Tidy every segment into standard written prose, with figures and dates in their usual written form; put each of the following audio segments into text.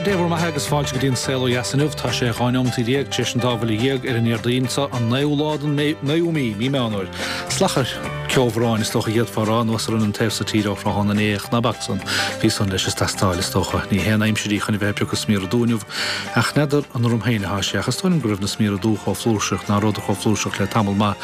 Sea, Dé bhur mbeatha agus fáilte go dtí an Saol Ó Dheas inniu. Tá sé 12 neomataí tar éis an dá bhuille dhéag ar an Déardaoin seo, an naoú lá den naoú mí, mí Meán Fhómhair. Slachar ceobhráin, is dócha a d'fhéadfá a rá, anuas orainn an taobh so tíre ó thráthnóna inné, ach ná bac san, bhí san leis is teastáil, is dócha. Ní haon aimsir í chun a bheith ag piocadh smiora dubha inniu, ach n'fheadar an orm féin atá sé, ach is dóigh liom go raibh na smiora dubha chomh flúirseach, ná rabhadar chomh flúirseach le tamall maith.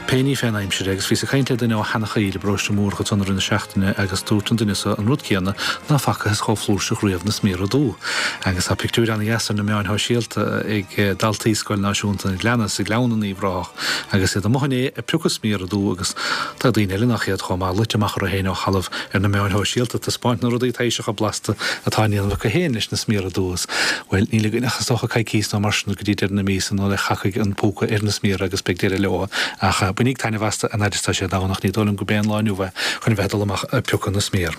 Pé ní fén aimsir é, agus bhíos ag caint le duine ó Sheanachoill i bparóiste Múrach ansan i rith na seachtaine agus dúirt an duine so an rud céanna, ná facthas chomh flúirseach riamh na smiora dubha. Agus tá pictiúir ana-dheas ar na meáin shóisialta ag daltaí Scoil Náisiúnta an Ghleanna sa Ghleann in Uíbh Ráthach agus iad amuigh inné ag piocadh smiora dubha agus tá daoine eile nach iad chomh maith luite amach orthu féin ó thalamh ar na meáin shóisialta ag taispeáint na rudaí taibhseacha blasta atá á ndéanamh acu féin leis na smiora dubha. Bhuel, níl againn ach is dócha coicís nó mar sin go dtí deireadh na míosa nó le thiocfaidh an púca ar na smiora agus beidh deireadh leo. Ach bainíg taitneamh astu an fhaid is tá sé ann ach ní dóigh liom go b'é an lá inniu é chun a bheith ag dul amach ag piocadh na smior.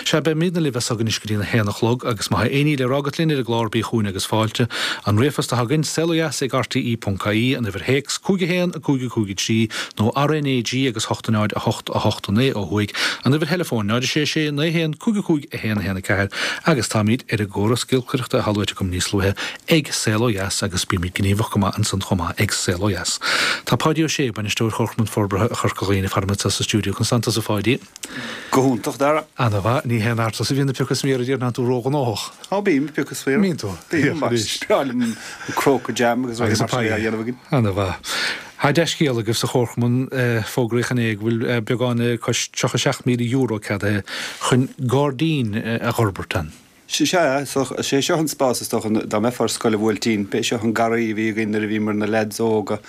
Sea, beimidne libh as so anois go dtí an haon a chlog agus má tá aon ní le rá agat linn ar an gclár bí chugainn agus fáilte. An ríomhphost atá againn, saolodheas ag rte ponc ie, an uimhir théacs, 5 1 5 5 3 nó RNAG agus 8 0 8 8 9 ó thuaidh, an uimhir theileafóin, 0 6 6 9 1 5 5 1 1 4 agus táimid ar an gcóras giolcaireachta atá luaite agam níos luaithe ag Saol Ó Dheas agus bímid gníomhach go maith ansan chomh maith ag Saol Ó Dheas. Tá Páidí Ó Sé, Bainisteoir Chomharchumann Forbartha Chorca Dhuibhne faram anseo sa stiúideo. Conas tánn tusa a Pháidí? Go hiontach, Dara. Ana-mhaith. Ní haon fhear tusa a bhíonn ag piocadh smior a déarfainn, tánn tú róghnóthach. Á bím ag piocadh smior. Mbíonn tú? Bím, mar is breá liom an cróc jam agus rudaí mar sin a dhéanamh againn. Ana-mhaith. Tá dea-scéal agaibh sa Chomharchumann, fógraíodh inné go bhfuil beagán cois €37,000 ceadaithe chun gairdín a dh'fhorbairt ann. Sea, is é seo an spás is dócha, dá mbeifeá ar scoil an Bhuailtín, b'é seo an garraí a bhí againn nuair a bhíomar na leaids óga,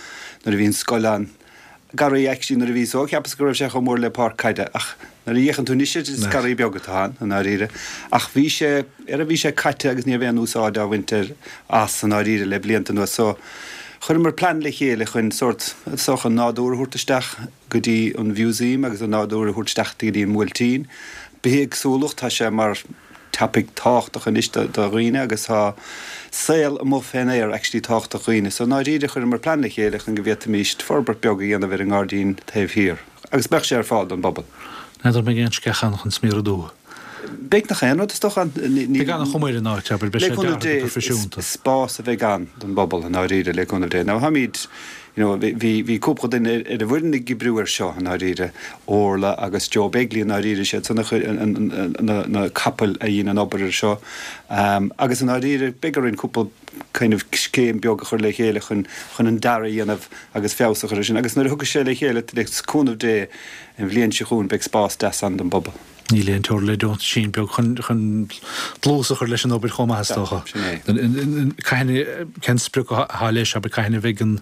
nuair a bhí an scoil ann. Garraí actually nuair a bhíos óg cheapas go raibh sé chomh mór le páirc caide ach nuair a fhéachann tú anois air is garraí beag atá ann i ndáiríre. Ach bhí sé, ara bhí sé caite agus ní raibh aon úsáid á bhaint air as i ndáiríre le blianta anuas so chuireamar plean le chéile chun sórt, is dócha, an nádúr a thabhairt isteach go dtí an mhúsaem agus an nádúr a thabhairt isteach go dtí an mBuailtín. Bithéagsúlacht, tá sé mar. topaic tábhachtach anois do dhaoine agus tá saol amuigh fén aer actually tábhachtach do dhaoine. So i ndáiríre chuireamar plean le chéile chun go bhféadfaimis forbairt beag a dhéanamh ar an ngairdín taobh thiar agus beadh sé ar fáil don bpobal. N'fheadar an mbeidh aon sceach ann chun smior dubh? Beidh nach aon rud is dócha ann. Beidh an-chuma ar an áit, abair, beidh sé deartha go proifisiúnta. Is spás a bheidh ann don bpobal i ndáiríre le cúnamh Dé. Now táimid You know, bhí, bhí cúpla duine ar an bhfoireann ag oibriú air seo, i ndáiríre, Orla agus Joe Begley i ndáiríre, siad san a chuir an, an, na, na capaill a dhein an obair ar seo. Agus i ndáiríre, beidh orainn cúpla kind of scéim beag a chur le chéile chun, chun an dearadh a dhéanamh agus feabhas a chur air sin. Agus nuair a thiocfaidh sé le chéile, le cúnamh Dé, an bhliain seo chugainn, beidh spás deas ann don bpobal. Níl aon teora le deontaisín beag chun dlús a chur leis an obair chomh maith, is dócha. Sin é. Cathain, cén sprioc atá leis, abair, cathain a bheidh an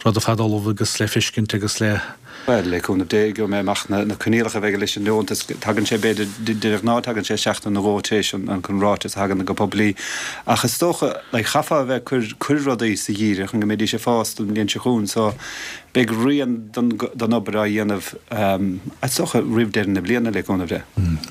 rud ar fad ullamh agus le feiscint agus le. Bhuel, le cúnamh Dé, gheobhaidh mé amach na coinníollacha a bheidh leis an deontas. Tagann sé, b'fhéidir, de ghnáth tagann sé seachtain nó dhó tar éis an ráiteas a thagann go poiblí. Ach is dócha, like, chaithfeá a bheith ag cur, cur rudaí sa gheimhreadh chun go mbeidís ag fás don bhliain seo chugainn. So, Beidh rian den obair á dhéanamh, is dócha, roimh deireadh na bliana, le cúnamh Dé.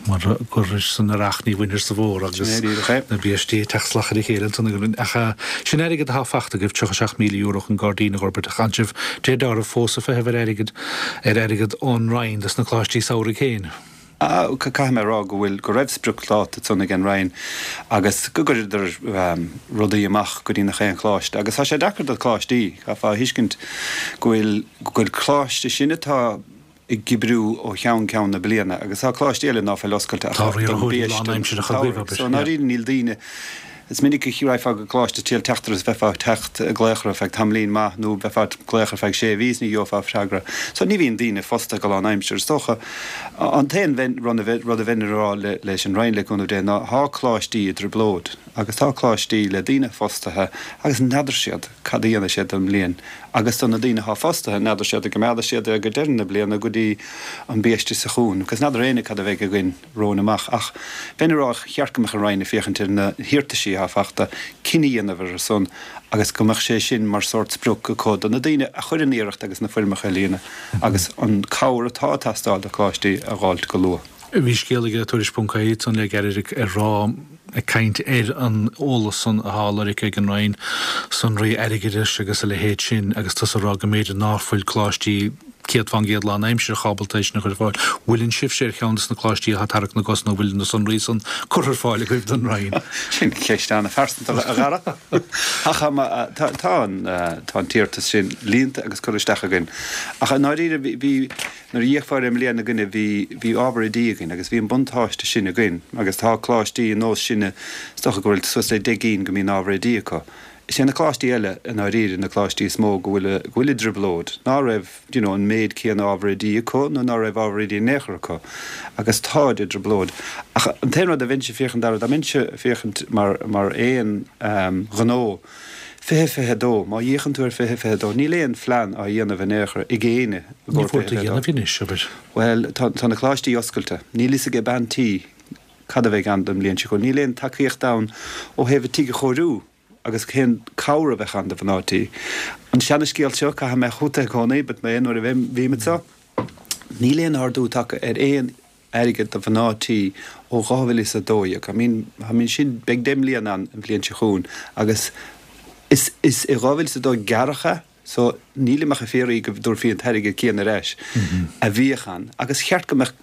Mar gur san earrach ní bhainfir sa bhfómhar agus na biaistí ag teacht salach ar a chéile ansan. Ach sin airgead atá fachta agaibh, €37,000 chun gairdín a dh'fhorbairt ach tánn sibh, de réir dealraimh, fós ag feitheamh ar airgead, ar airgead ón Roinn dos na coláistí samhraidh féin. Caithfidh mé a rá go bhfuil, go raibh spriocdháta ansan ag an Roinn agus go gcuireadar rudaí amach go dtí nach aon choláiste agus tá sé deacair do choláistí, caithfeá a thuiscint go bhfuil, go bhfuil coláiste sin atá ag oibriú ó cheann ceann na bliana agus tá coláistí eile ná fuil oscailte ach don biaiste an tsamhraidh. So i ndáiríre níl daoine. Is minic a raghfá go coláiste triail teachtaireacht is bheifeá ag teacht ag glaoch orthu feadh tamaillín maith nó bheifeá ag glaoch ar feadh sé mhí is ní gheofá freagra. So ní bhíonn daoine fostaithe go lánaimseartha. Is dócha an t-aon rud a bheinn ag rá leis an Roinn le cúnamh Dé ná tá coláistí i dtrioblóid agus tá coláistí le daoine fostaithe agus n'fheadar siad cad a dhéanfaidh siad don mbliain agus do na daoine atá fostaithe n'fheadar siad an gcoimeádfaidh siad é go deireadh na bliana go dtí an biaiste seo chugainn agus n'fheadar éinne cad a bheidh againn. romhainn amach. Ach bheinn ag rá, cheart go mbeadh an Roinn ag féachaint ar na hiarrataisí atá fachta, cinneadh a dhéanamh ar a son agus go mbeadh sé sin mar sórt sprioc acu do na daoine a chuir an iarracht agus na foirmeacha a líonadh agus an cabhair atá ag teastáil do choláistí a dh'fháilt go luath. Bhí scéal ag Tuairisc ponc ie ansan le gairid ag rá, ag caint ar an eolas san atá á lorg ag an Roinn, sonraí airgeadais agus a leithéid sin agus tusa ag rá go mb'fhéidir ná fuil coláistí. 100% lánaimsearach ábalta é sin a chur ar fáil. Bhfuileann sibhse ar cheann de na coláistí atá ag tarrac na gcos nó bhfuil na sonraí san curtha ar fáil agaibh don Roinn? Sin ceist an-phearsanta, a Dhara. Ach tá an tá an t-iarratas sin líonta agus curtha isteach againn. Ach i ndáiríre bhí, nuair a d'fhéachfá air i mbliana againne, bhí, bhí ábhar oidí againn agus bhí an buntáiste sin againn agus tá coláistí ar nós sinne, is dócha go bhfuil suas le 10 gcinn go mbíonn ábhar oidí acu. Is é na coláistí eile, i ndáiríre, na coláistí is mó go bhfuil, go bhfuil i dtrioblóid, ná raibh, you know, an méid céanna ábhar oidí acu nó ná raibh ábhar oidí in aon chor acu agus táid i dtrioblóid. Ach an t-aon rud a bheinnse ag féachaint air, dá mbeinnse ag féachaint mar, mar aon ghnó, 2022, má fhéachann tú ar 2022, níl aon phlean á dhéanamh in aon chor ag éinne i gcomhair 2022. Ní fóir a dhéanamh anois, abair. Bhuel, tá, tá na coláistí oscailte. Níl fhios ag bean tí Cad a bheidh ann don mbliain seo chugainn? Níl aon tacaíocht ann ó thaobh an tigh a chóiriú agus cén cabhair a bheadh ann do mhná tí. An seana-scéal seo, caithfidh mé chugat é i gcónaí, but mé nuair a bhím anseo, níl aon ardú tagtha ar aon airgead do mhná tí ó 2012. I mean, I mean sin, beidh 10 mbliana ann an bhliain seo chugainn agus is, is i 2002 gearradh é. So, nílim ach ag fiafraí go dtabharfaí an t-airgead céanna ar ais a bhíodh ann agus cheart go mbeadh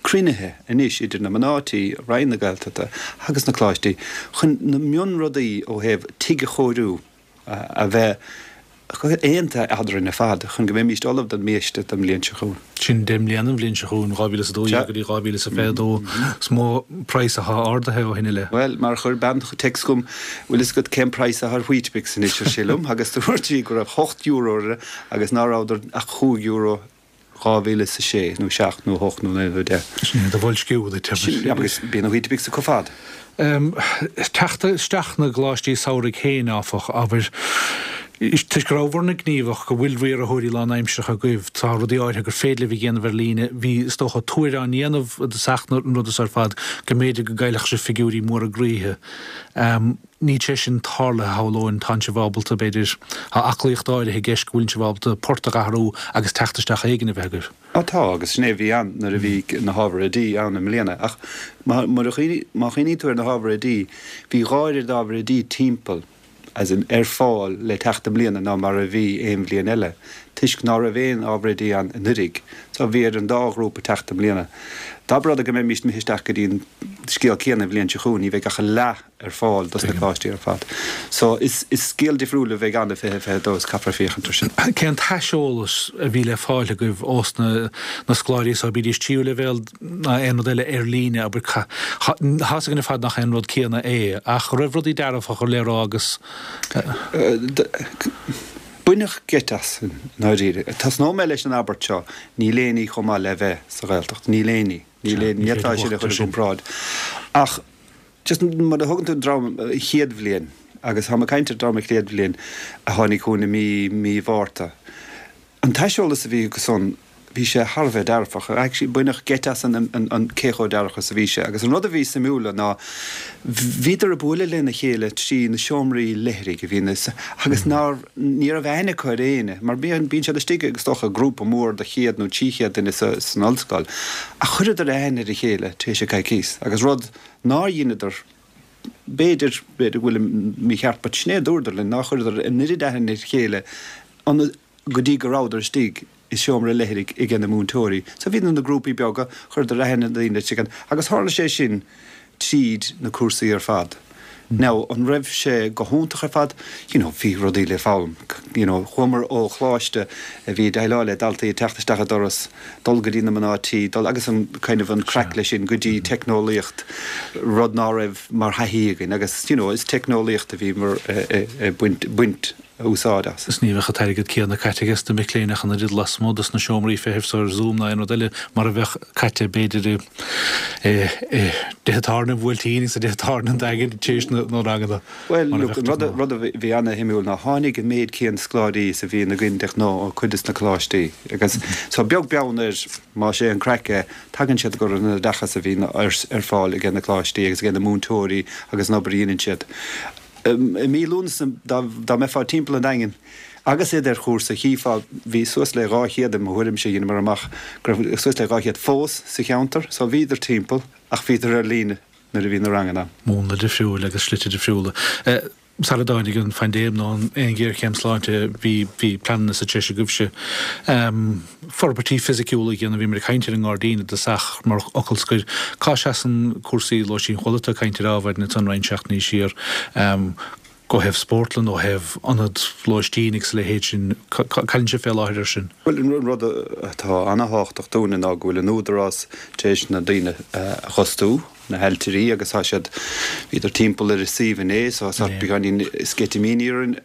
cruinnithe anois idir na mná tí, Roinn na Gaeltachta agus na coláistí chun na mionrudaí ó thaobh tigh a chóiriú a bheith aontaithe eadrainn ar fad chun go mbeimíst ullamh don mbiaiste don mbliain seo chugainn. Sin 10 mbliana an bhliain seo chugainn, 2012 go dtí 2022. Is mó praghas atá ardaithe ó shin i leith. Bhuel, mar a chuir bean text chugam, bhfuil fhios agat cén praghas atá ar Weet-Bix anois, ar sí liom, agus dúirt sí go raibh €8 orthu agus ná rabhadar ach €5 2006 nó 7 nó 8 nó 9 nó 10. Sin é do bhoilsciú duit, abair. Sin, agus bíonn na Weet-Bix acu fad. Teacht isteach na gcoláistí samhraidh féin, áfach, abair, toisc go rabhabhair-ne gníomhach, go bhfuil riarthóirí lánaimseartha agaibh, tá rudaí áirithe gur féidir libh a dhéanamh ar líne. Bhí, is dócha, tuar á ndéanamh i dtosach na ruda so ar fad go mb'fhéidir go gcaillfeadh sibh figiúirí móra groíthe. Níl sé sin tarlaithe, shamhlóinn. Tánn sibh ábalta, b'fhéidir, tá aclaíocht áirithe i gceist go bhfuileann sibh ábalta port a dh'athrú agus teacht isteach éigin a bheith agaibh. Á tá, agus sin é a bhí ann nuair a bhí na hábhair oidí ann i mbliana. Ach má chuimhníonn tú ar na hábhair oidí, bhí dhá oiread ábhair oidí timpeall, as in, ar fáil le teacht i mbliana ná mar a bhí aon bhliain eile, toisc ná raibh aon ábhar oidí ann anuiridh. So bhí ar an dá ghrúpa teacht i mbliana. Dá mba rud é go mbeimíst imithe isteach go dtí an scéal céanna an bhliain seo chugainn, ní bheidh ach a leath ar fáil dos na coláistí ar fad. So is scéal difriúil a bheidh ann i 2022 is caithfear féachaint ar sin. Cén t-aiseolas a bhí le fáil agaibh ós na na scoláirí so, bídís tríú leibhéal ná aon rud eile ar líne, abair, tá's againn ar fad nach é an rud céanna é, ach raibh rudaí dearfacha le rá agus. Baineadh geit asainn, i ndáiríre. Tosnóidh mé leis an abairt seo, níl aon ní chomh maith le bheith sa Ghaeltacht. Níl aon ní. Níl aon, ní fhéadfá sin a chur i gcomparáid. Ach. Just mar a thugann tú dream an chéad bhliain, agus táim ag caint ar dream an chéad bhliain a tháinig chugainn i mí, mí Mhárta. An t-aiseolas a bhí acu san, bhí sé thar a bheith dearfach. Actually baineadh geit asainn an, an, an cé chomh dearfach is a bhí sé. Agus an rud a bhí suimiúla ná bhíodar ag bualadh lena chéile trí na seomraí leithrigh a bhí na, agus nár, ní raibh aithne acu ar éinne, mar bíonn, bíonn siad istigh is dócha grúpa mór de chéad nó 300 duine sa, san ollscoil. Ach chuireadar aithne ar a chéile tar éis coicíos agus rud nár dheineadar, b'fhéidir, b'fhéidir go bhfuilim mícheart, but sin é a dúradar linn, nár chuireadar an oiread aithne ar a chéile go dtí go rabhadar istigh i seomra leithrigh aige na múinteoirí. So bhíodar ina grúpaí beaga, chuireadar aithne ar daoine agus tharla sé sin tríd na cúrsaí ar fad. Now, an raibh sé go hiontach ar fad? You know, bhí rudaí le foghlaim. You know, chuamar ó choláiste a bhí ag déileáil le daltaí ag teacht isteach an doras, dul go dtí na mná tí, dul agus an kind of an craic leis sin go dtí teicneolaíocht, rud ná raibh mar thaithí againn agus, you know, is teicneolaíocht a bhíomar ag baint, baint úsáid as. Is ní bheadh an t-airgead céanna caite aige sna mic léinn ach an oiread lasmuigh dos na seomraí feithimh so ar Zoom ná aon rud eile mar a bheadh caite b'fhéidir i dtithe tábhairne an Bhuailtín agus i dtithe tábhairne an Daingin tar éis na ranganna Bhuel, mar a look, bheadh de ghnáth. Rud a bhí ana-shuimiúil ná tháinig an méid céanna scoláirí is a bhíonn againn de ghnáth ó cuid des na coláistí agus so beag beann ar más é an craic é, tagann siad go an oideachas a bhíonn ar fáil aige na coláistí agus aige na múinteoirí agus an obair a dhéanann siad. I mí Lúnasa, dá mbeifeá timpeall an Daingin agus iad ar chúrsa, chífeá, bhí suas le 200 i mo thuairimse, dheineamar amach go raibh suas le 200 fós sa cheantar, so bhíodar timpeall ach bhíodar ar líne nuair a bhí na ranganna ann. Múnla difriúil agus slite difriúla. Sara dtáinig an phaindéim nó aon ghéarchéim sláinte bhí bhí pleananna sa treis agaibhse forbairtí fisiciúla a dhéanamh. Bhíomar ag caint ar an ngairdín i dtosach mar fhocal scoir. Cá seasann cúrsaí lóistín? Chuala tú ag caint ar ábhair ansan roinnt seachtainí siar ó thaobh spórtlann, ó thaobh ionad lóistín agus a leithéid sin. Cá bhfuil sibh fé láthair ar sin? Bhuel, an rud atá ana-thábhachtach dúinne ná go bhfuil an Údarás tar éis na daoine a dh'fhostú. na hailtirí agus tá siad, bhíodar timpeall ar an suíomh inné so tá beagáinín sceitimíní orainn.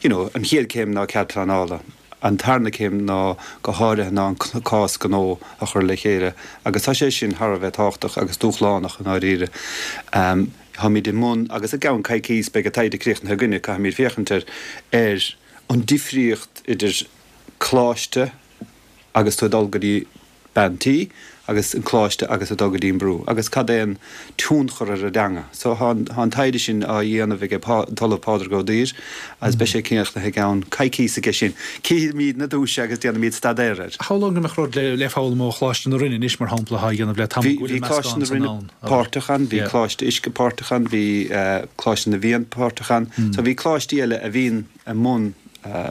You know, an chéad céim ná cead pleanála. An tarna céim ná go háirithe ná an cás gnó a chur le chéile agus tá sé sin thar a bheith tábhachtach agus dúshlánach i ndáiríre. Táimid i mbun, agus i gceann coicíos beidh an taighde críochnaithe againne, caithfimid féachaint ar ar an difríocht idir coláiste agus tú ag dul go dtí bean tí agus an coláiste agus ag dul go dtí an brú agus cad é an tionchar ar an dteanga. So tá an, tá an taighde sin á dhéanamh ag an tOllamh Pádraig Ó Duibhir agus beidh sé críochnaithe i gceann coicíos aige sin. Cífimid na duaise agus déanfaimid staidéar air. Shamhlóinn go mbeadh rud le, le foghlaim ó Choláiste na Rinne anois mar shampla atá á dhéanamh le tamall go bhfuil an meascán san ann. Páirteach ann, bhí Coláiste Uisce páirteach ann, bhí Coláiste na bhFiann páirteach ann. So bhí coláistí eile a bhíonn i mbun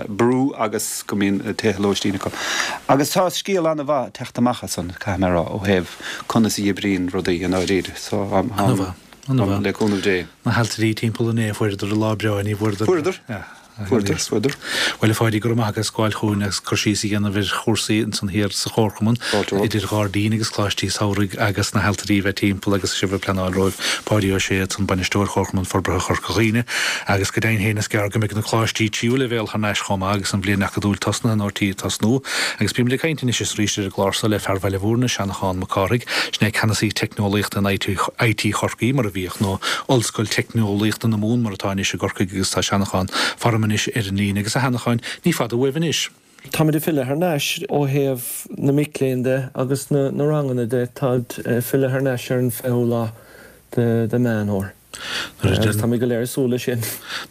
brú agus go mbíonn tithe lóistín acu. Agus tá scéal an-mhaith ag teacht amach as san, caithfidh mé a rá, ó thaobh conas a oibríonn rudaí i ndáiríre. So, An-mhaith, an-mhaith. Le cúnamh Dé. Na hailtirí timpeall inné, fuaireadar a lá breá, ní bhfuaireadar. Fuaireadar. Fuaireadar, fuaireadar. Bhuel, a Pháidí, go raibh maith agat as gabháil chugainn agus cur síos a dhéanamh ar chúrsaí ansan thiar sa Chomharchumann, idir ghairdín agus coláistí samhraidh agus na hailtirí a bheith timpeall agus sibh ag pleanáil romhaibh. Páidí Ó Sé ansan, Bainisteoir Chomharchumann Forbartha Chorca Dhuibhne. Agus go deimhin féin is gearr go mbeidh na coláistí tríú leibhéal thar n-ais chomh maith agus an bhliain acadúil tosnaithe nó ar tí tosnú. Agus bímid ag caint anois is arís ar an gclár seo le fear Bhaile Bhúirne, Seanchán Mac Cárthaigh. Sin é Ceannasaí Teicneolaíochta in IT Chorcaí, mar a bhíodh, nó Ollscoil Teicneolaíochta na Mumhan mar atá anois i gCorcaigh agus tá Seanchán faram anois ar an líne. Agus a Sheanacháin, ní fada uaibh anois. Táimid ag filleadh thar n-ais ó thaobh na mic léinn de agus na ranganna de, táid ag filleadh thar n-ais ar an 20ú lá de Meán Fhómhair. Agus táimid go léir ag súil leis sin.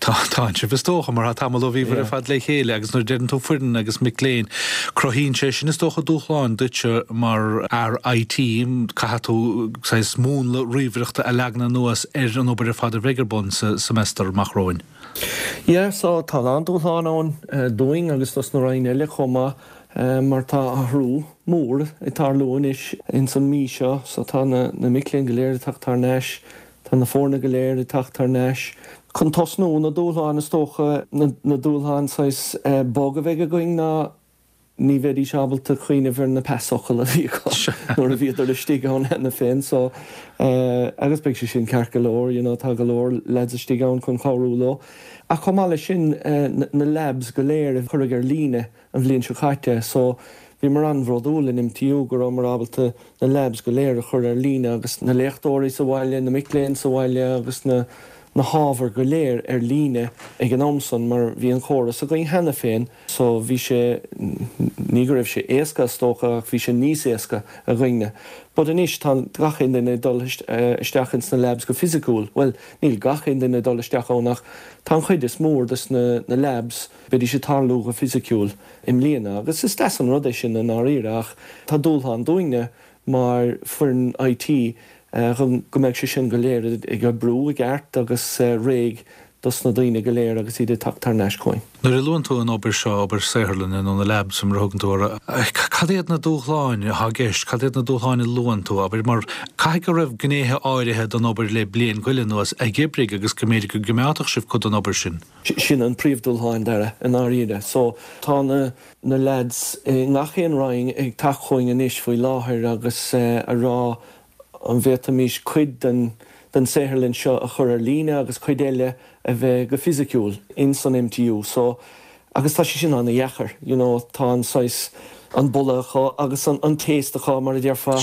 Tá, tá sibh is dócha, mar tá tamall ó bhíobhair ar fad le chéile agus nuair a deireann tú foireann agus mic léinn, cruthaíonn sé sin is dócha dúshláin duitse mar fhear IT, caithfidh tú saghas múnla ríomhaireachta a leagan anuas ar an obair ar fad a bheidh ar bun sa seimeastar amach romhainn. Yeah, so tá a lán dúshlán ann dúinn agus dos na roinn eile chomh maith mar tá athrú mór ag tarlú anois ins an mí seo so tá na mic léinn go léir ag teacht thar n-ais, tá na foirne go léir ag teacht thar n-ais. Chun tosnú, na dúshláin is dócha, na dúshláin saghas bog a bheidh againn ná ní bheidís ábalta cuimhneamh ar na pasfhocail a bhí acu nuair a bhíodar istigh ann cheana féin so agus beidh sé sin ceart go leor you know tá go leor lads istigh ann chun cabhrú leo. Ach chomh maith leis sin na labs go léir a cuireadh ar líne an bhliain seo caite so bhíomar an-bhródúil in MTU go rabhamar ábalta na labs go léir a chur ar líne agus na léachtóirí sa bhaile, na mic léinn sa bhaile agus na na hábhair go léir ar líne ag an am san mar bhí an córas againn cheana féin so bhí sé, ní go raibh sé éasca is dócha ach bhí sé níos éasca againne. But anois tá gach aon duine ag dul isteach ins na labs go fisiciúil, bhuel níl gach aon duine ag dul isteach ann ach tá an chuid is mór des na labs, beidís ag tarlú go fisiciúil i mbliana agus is deas an rud é sin i ndáiríre ach tá dúshlán dúinne mar foireann IT chun go mbeidh sé sin go léir ag oibriú i gceart agus réidh dos na daoine go léir agus iad ag teacht thar n-ais chugainn. Nuair a luann tú an obair seo, obair saotharlainne nó na labs mar a thugann tú orthu, cad iad na dúshláin atá i gceist, cad iad na dúshláin a luann tú, abair, mar caithfidh go raibh gnéithe áirithe den obair le bliain go leith anuas a dh'oibrigh agus go mb'fhéidir go gcoimeádfadh sibh cuid den obair sin. Sin an príomhdhúshlán, Dara, i ndáiríre. So, tá na. na leaids i ngach aon roinn ag teacht chugainn anois faoi láthair agus a rá an bhféadfaimis cuid den den saotharlann seo a chur ar líne agus cuid eile a bheith go fisiciúil in san MTU so agus tá sé sin ana-dheacair you know tá an saghas an boladh acu agus an an taste acu mar a déarfá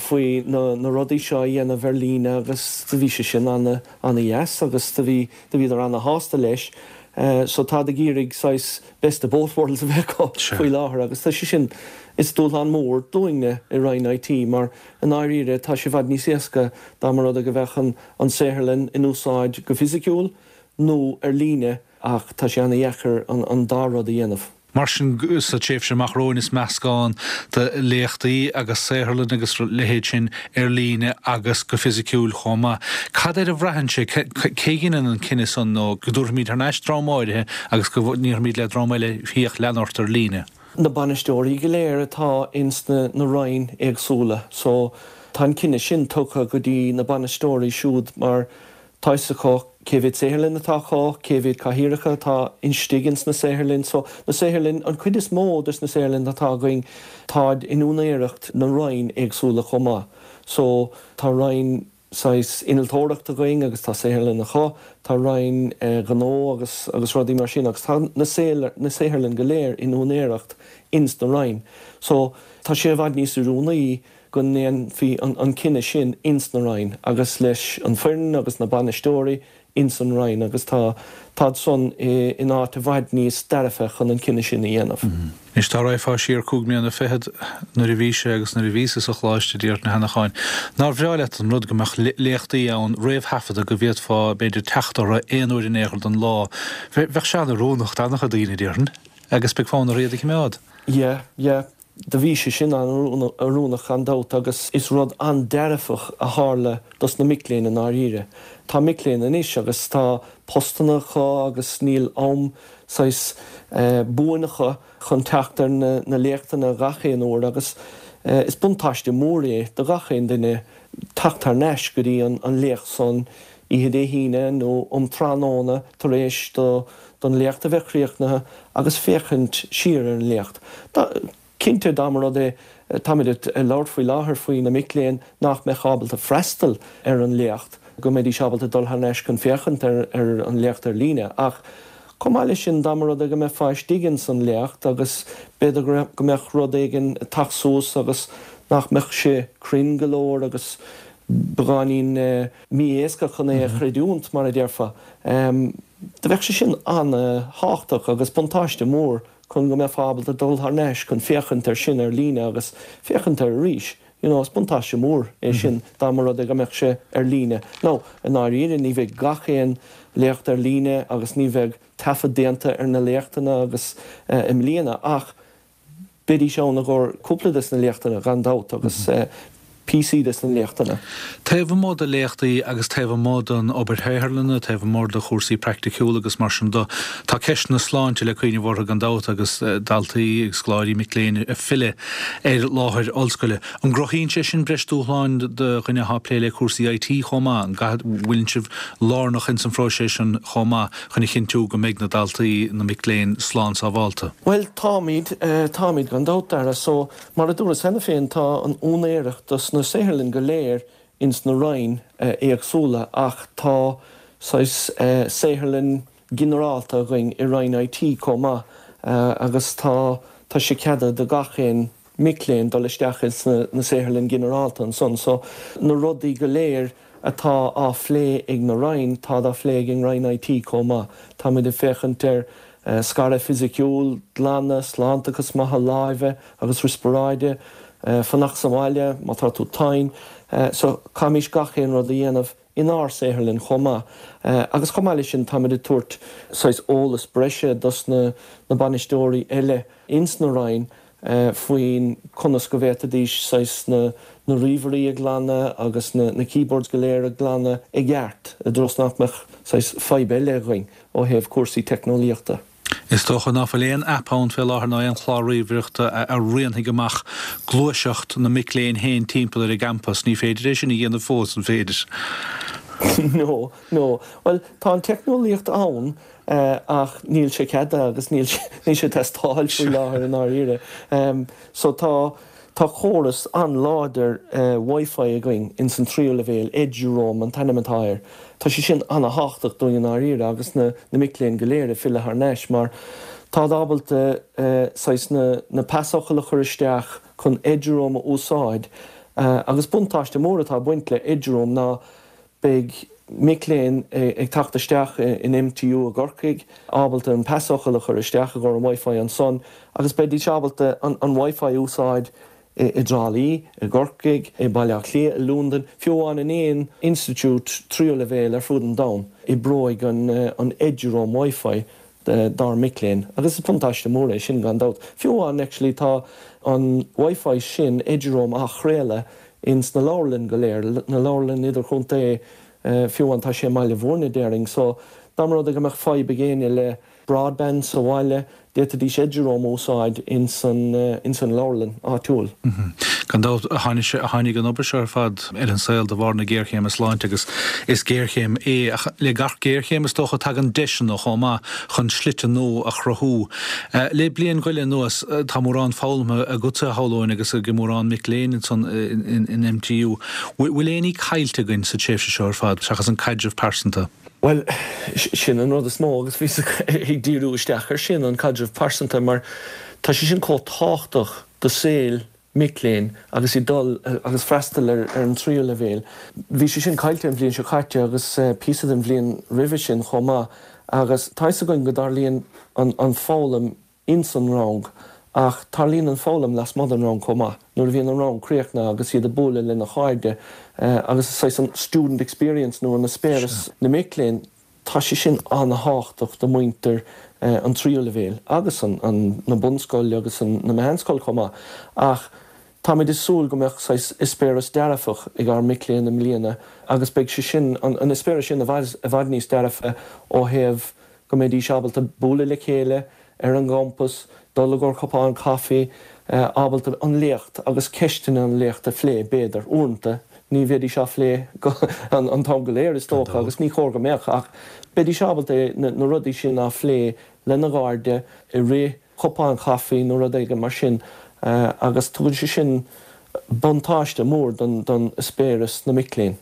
faoi na na rudaí seo a dhéanamh ar líne agus do bhí sé sin ana ana-dheas agus do bhí do bhíodar ana-shásta leis so táid ag iarraidh saghas best of both worlds a bheith acu faoi láthair agus tá sé sin, is dúshlán mór dúinne i Roinn IT mar i ndáiríre tá sé i bhfad níos éasca dá mba rud é go bheadh an an saotharlann in úsáid go fisiciúil nó ar líne ach tá sé ana-dheacair an an dá rud a dhéanamh. Mar sin, sa tréimhse amach romhainn is meascán de léachtaí agus saotharlann agus a leithéid sin ar líne agus go fisiciúil chomh maith. Cad air a bhraitheann sé? Cé a dheineann an cinneadh san nó go dtabharfaimid thar n-ais dream áirithe agus go ndéarfaimid le dream eile féach lean ort ar líne? Na bainisteoirí go léir atá ins na roinn éagsúla so tá an cinneadh sin tugtha go dtí na bainisteoirí siúd mar Tá fhios acu cé mhéad saotharlann atá acu, cé mhéad cathaoireacha atá istigh ins na saotharlainn. So, na saotharlainn, an chuid is mó des na saotharlainn atá againn, táid in úinéireacht na roinn éagsúla chomh maith. So, tá roinn saghas innealtóireachta againn agus tá saotharlann acu, tá roinn gnó agus agus rudaí mar sin agus tá na na saotharlainn go léir in úinéireacht ins na roinn. So, tá sé i bhfad níos oiriúnaí go ndéanfaí an cinneadh sin ins na roinn agus leis an foireann agus na bainisteoirí ins an roinn agus tá táid san in áit i bhfad níos dearfa chun an cinneadh sin a dhéanamh. Anois dá raghfá siar cúig mbliana fichead nuair a bhí sé agus nuair a bhíos-sa sa choláiste a Mháirtín Uí Sheanacháin, nár bhreá leat an rud go mbeadh léachtaí ann réamhthaifeadta go bhféadfá b'fhéidir teacht orthu aon uair in aon chor den lá. Bheadh sé an-oiriúnach d'an-chuid daoine, déarfainn, agus beidh fonn orthu iad a chimeád. Yeah, yeah. Do bhí sé sin an-oiriúnach gan dabht agus is rud an-dearfach a tharla dos na mic léinn i ndáiríre. Tá mic léinn anois agus tá postanna acu agus níl am saghas buan acu chun teacht ar na léachtanna gach aon uair agus is buntáiste mór é do gach aon duine teacht thar n-ais go dtí an léacht san oíche Dé hAoine nó um tráthnóna tar éis don léacht a bheith críochnaithe agus féachaint siar ar an léacht. Cinnte, dá mba rud é, táimid ag labhairt faoi láthair faoi na mic léinn nach mbeadh ábalta freastal ar an léacht, go mbeidís ábalta dul thar n-ais chun féachaint ar an léacht ar líne. Ach chomh maith leis sin, dá mba rud é go mbeifeá istigh ins an léacht agus b'fhéidir go mbeadh rud éigin ag teacht suas agus nach mbeadh sé cruinn go leor agus beagáinín mí-éasca chun é a chreidiúint, mar a déarfá. Do bheadh sé sin an-thábhachtach agus buntáiste mór chun go mbeifeá ábalta dul thar n-ais chun féachaint air sin ar líne agus féachaint air arís. You know, is buntáiste mór é sin dá mba rud é go mbeadh sé ar líne. Now, i ndáiríre, ní bheidh gach aon léacht ar líne agus ní bheidh taifead déanta ar na léachtanna agus i mbliana ach Beidís ann i gcomhair cúpla des na léachtanna, gan dabht, agus píosaí des na léachtanna. Taobh amuigh de léachtaí agus taobh amuigh den obair shaotharlainne, taobh amuigh de chúrsaí praiticiúla agus mar sin de, tá ceist na sláinte le cuimhneamh orthu gan dabht agus daltaí agus scoláirí, mic léinn ag filleadh ar láthair ollscoile. An gcruthaíonn sé sin breis dúshláin do dhuine atá ag plé le cúrsaí IT chomh maith? An bhfuileann sibh lárnach ins an phróiseas sin chomh maith? chun a chinntiú go mbeidh na daltaí, na mic léinn, slán sábhálta? Bhuel, táimid, táimid gan dabht, Dara. So, mar a dúras cheana féin, tá an úinéireacht dos na saotharlann go léir ins na roinn éagsúla ach tá saghas saotharlann ginearálta againn i Roinn IT chomh maith agus tá, tá sé ceadaithe do gach aon mic léinn dul isteach ins na saotharlann ginearálta ansan. So, na rudaí go léir atá á phlé ag na Roinn, táid á phlé ag an Roinn IT chomh maith. Táimid ag féachaint ar scaradh fisiciúil, glanadh, sláintachas maith láimhe agus riospráide, fanacht sa bhaile má tá tú tinn. So, caithfimís gach aon rud a dhéanamh inár saotharlann chomh maith. Agus chomh maith leis sin, táimid ag tabhairt saghas eolas breise dos na bainisteoirí eile ins na Roinn faoin conas go bhféadfaidís saghas na na ríomhairí a ghlanadh agus na na keyboards go léir a ghlanadh i gceart i dtreo is nach mbeadh saghas fadhb eile againn ó thaobh cúrsaí teicneolaíochta. Is dócha ná fuil aon aip ann fé láthair ná aon chlár ríomhaireachta a rianfaidh amach gluaiseacht na mic léinn féin timpeall ar an gcampas. Ní féidir é sin a dhéanamh fós, an féidir? No, no. Bhuel, tá an teicneolaíocht ann ach níl sé ceadaithe agus níl níl sé ag teastáil faoi láthair i ndáiríre. So tá tá córas an-láidir Wi-Fi againn ins an tríú leibhéal, Eduroam an t-ainm atá air. Tá sé sin an-thábhachtach dúinn i ndáiríre agus na na mic léinn go léir ag filleadh thar n-ais mar táid ábalta saghas na na pasfhocail a chur isteach chun Eduroam a úsáid agus buntáiste mór atá ag baint le Eduroam ná Beidh mic léinn ag teacht isteach in MTU i gCorcaigh ábalta an pasfhocal a chur isteach i gcomhair an Wi-Fi ansan agus beidís ábalta an Wi-Fi a úsáid i dTrá Lí, i gCorcaigh, i Baile Átha Cliath, i Londain, fiú amháin in aon institiúid tríú leibhéal ar fud an domhain. Oibreoidh an Eduroam Wi-Fi. dár mic léinn agus is buntáiste mór é sin gan dabht. Fiú amháin actually tá an Wi-Fi sin, Eduroam, á chraoladh ins na leabharlann go léir, na leabharlann idirchontae, fiú amháin tá sé i mBaile Bhúirne déarfainn so dá mba rud é go mbeadh fadhb ag éinne le broadband sa bhaile, d'fhéadfaidís Eduroam a úsáid ins an ins an leabharlann áitiúil. Gan dabht, tháinig an obair seo ar fad ar an saol de bharr na géarchéime sláinte agus is géarchéim é ach le gach géarchéim is dócha tagann deiseanna chomh maith chun slite nua a chruthú. Le bliain go leith anuas tá mórán foghlamtha agatsa a shamhlóinn agus ag mórán mic léinn ansan in MTU. Bhfuil aon ní caillte againn sa tréimhse seo ar fad seachas an caidreamh pearsanta? Bhuel, sin an rud is mó agus bhíos ag díriú isteach air sin, an caidreamh pearsanta, mar tá sé sin chomh tábhachtach do saol mic léinn agus iad dul agus freastal ar an tríú leibhéal. Bhí sé sin caillte an bhliain seo caite agus píosa den bhliain roimhe sin chomh maith agus tá fhios againn go dtarlaíonn an foghlaim ins an rang, ach tarlaíonn an foghlaim lasmuigh den rang chomh maith, nuair a bhíonn an rang críochnaithe agus iad ag bualadh lena chairde agus saghas an student experience nó an eispéireas na mic léinn, tá sé sin an-thábhachtach do mhuintir an tríú leibhéal agus an na bunscoile agus an na meánscoil chomh maith. Ach táimid ag súil go mbeadh saghas eispéireas dearfach ag ár mic léinn i mbliana agus beidh sé sin, an eispéireas sin i bhfad i bhfad níos dearfa ó thaobh go mbeidís ábalta bualadh le chéile ar an gcampas, dul i gcomhair cupán caife, ábalta an léacht agus ceisteanna an léacht a phlé, b'fhéidir. Uaireanta, ní bheidís á phlé an t-am go léir, is dócha, agus ní chóir go mbeadh, ach beidís ábalta na rudaí sin á phlé lena gcairde i rith cupán caife nó rud éigin mar sin agus tugann sé sin buntáiste mór don eispéireas na mic léinn.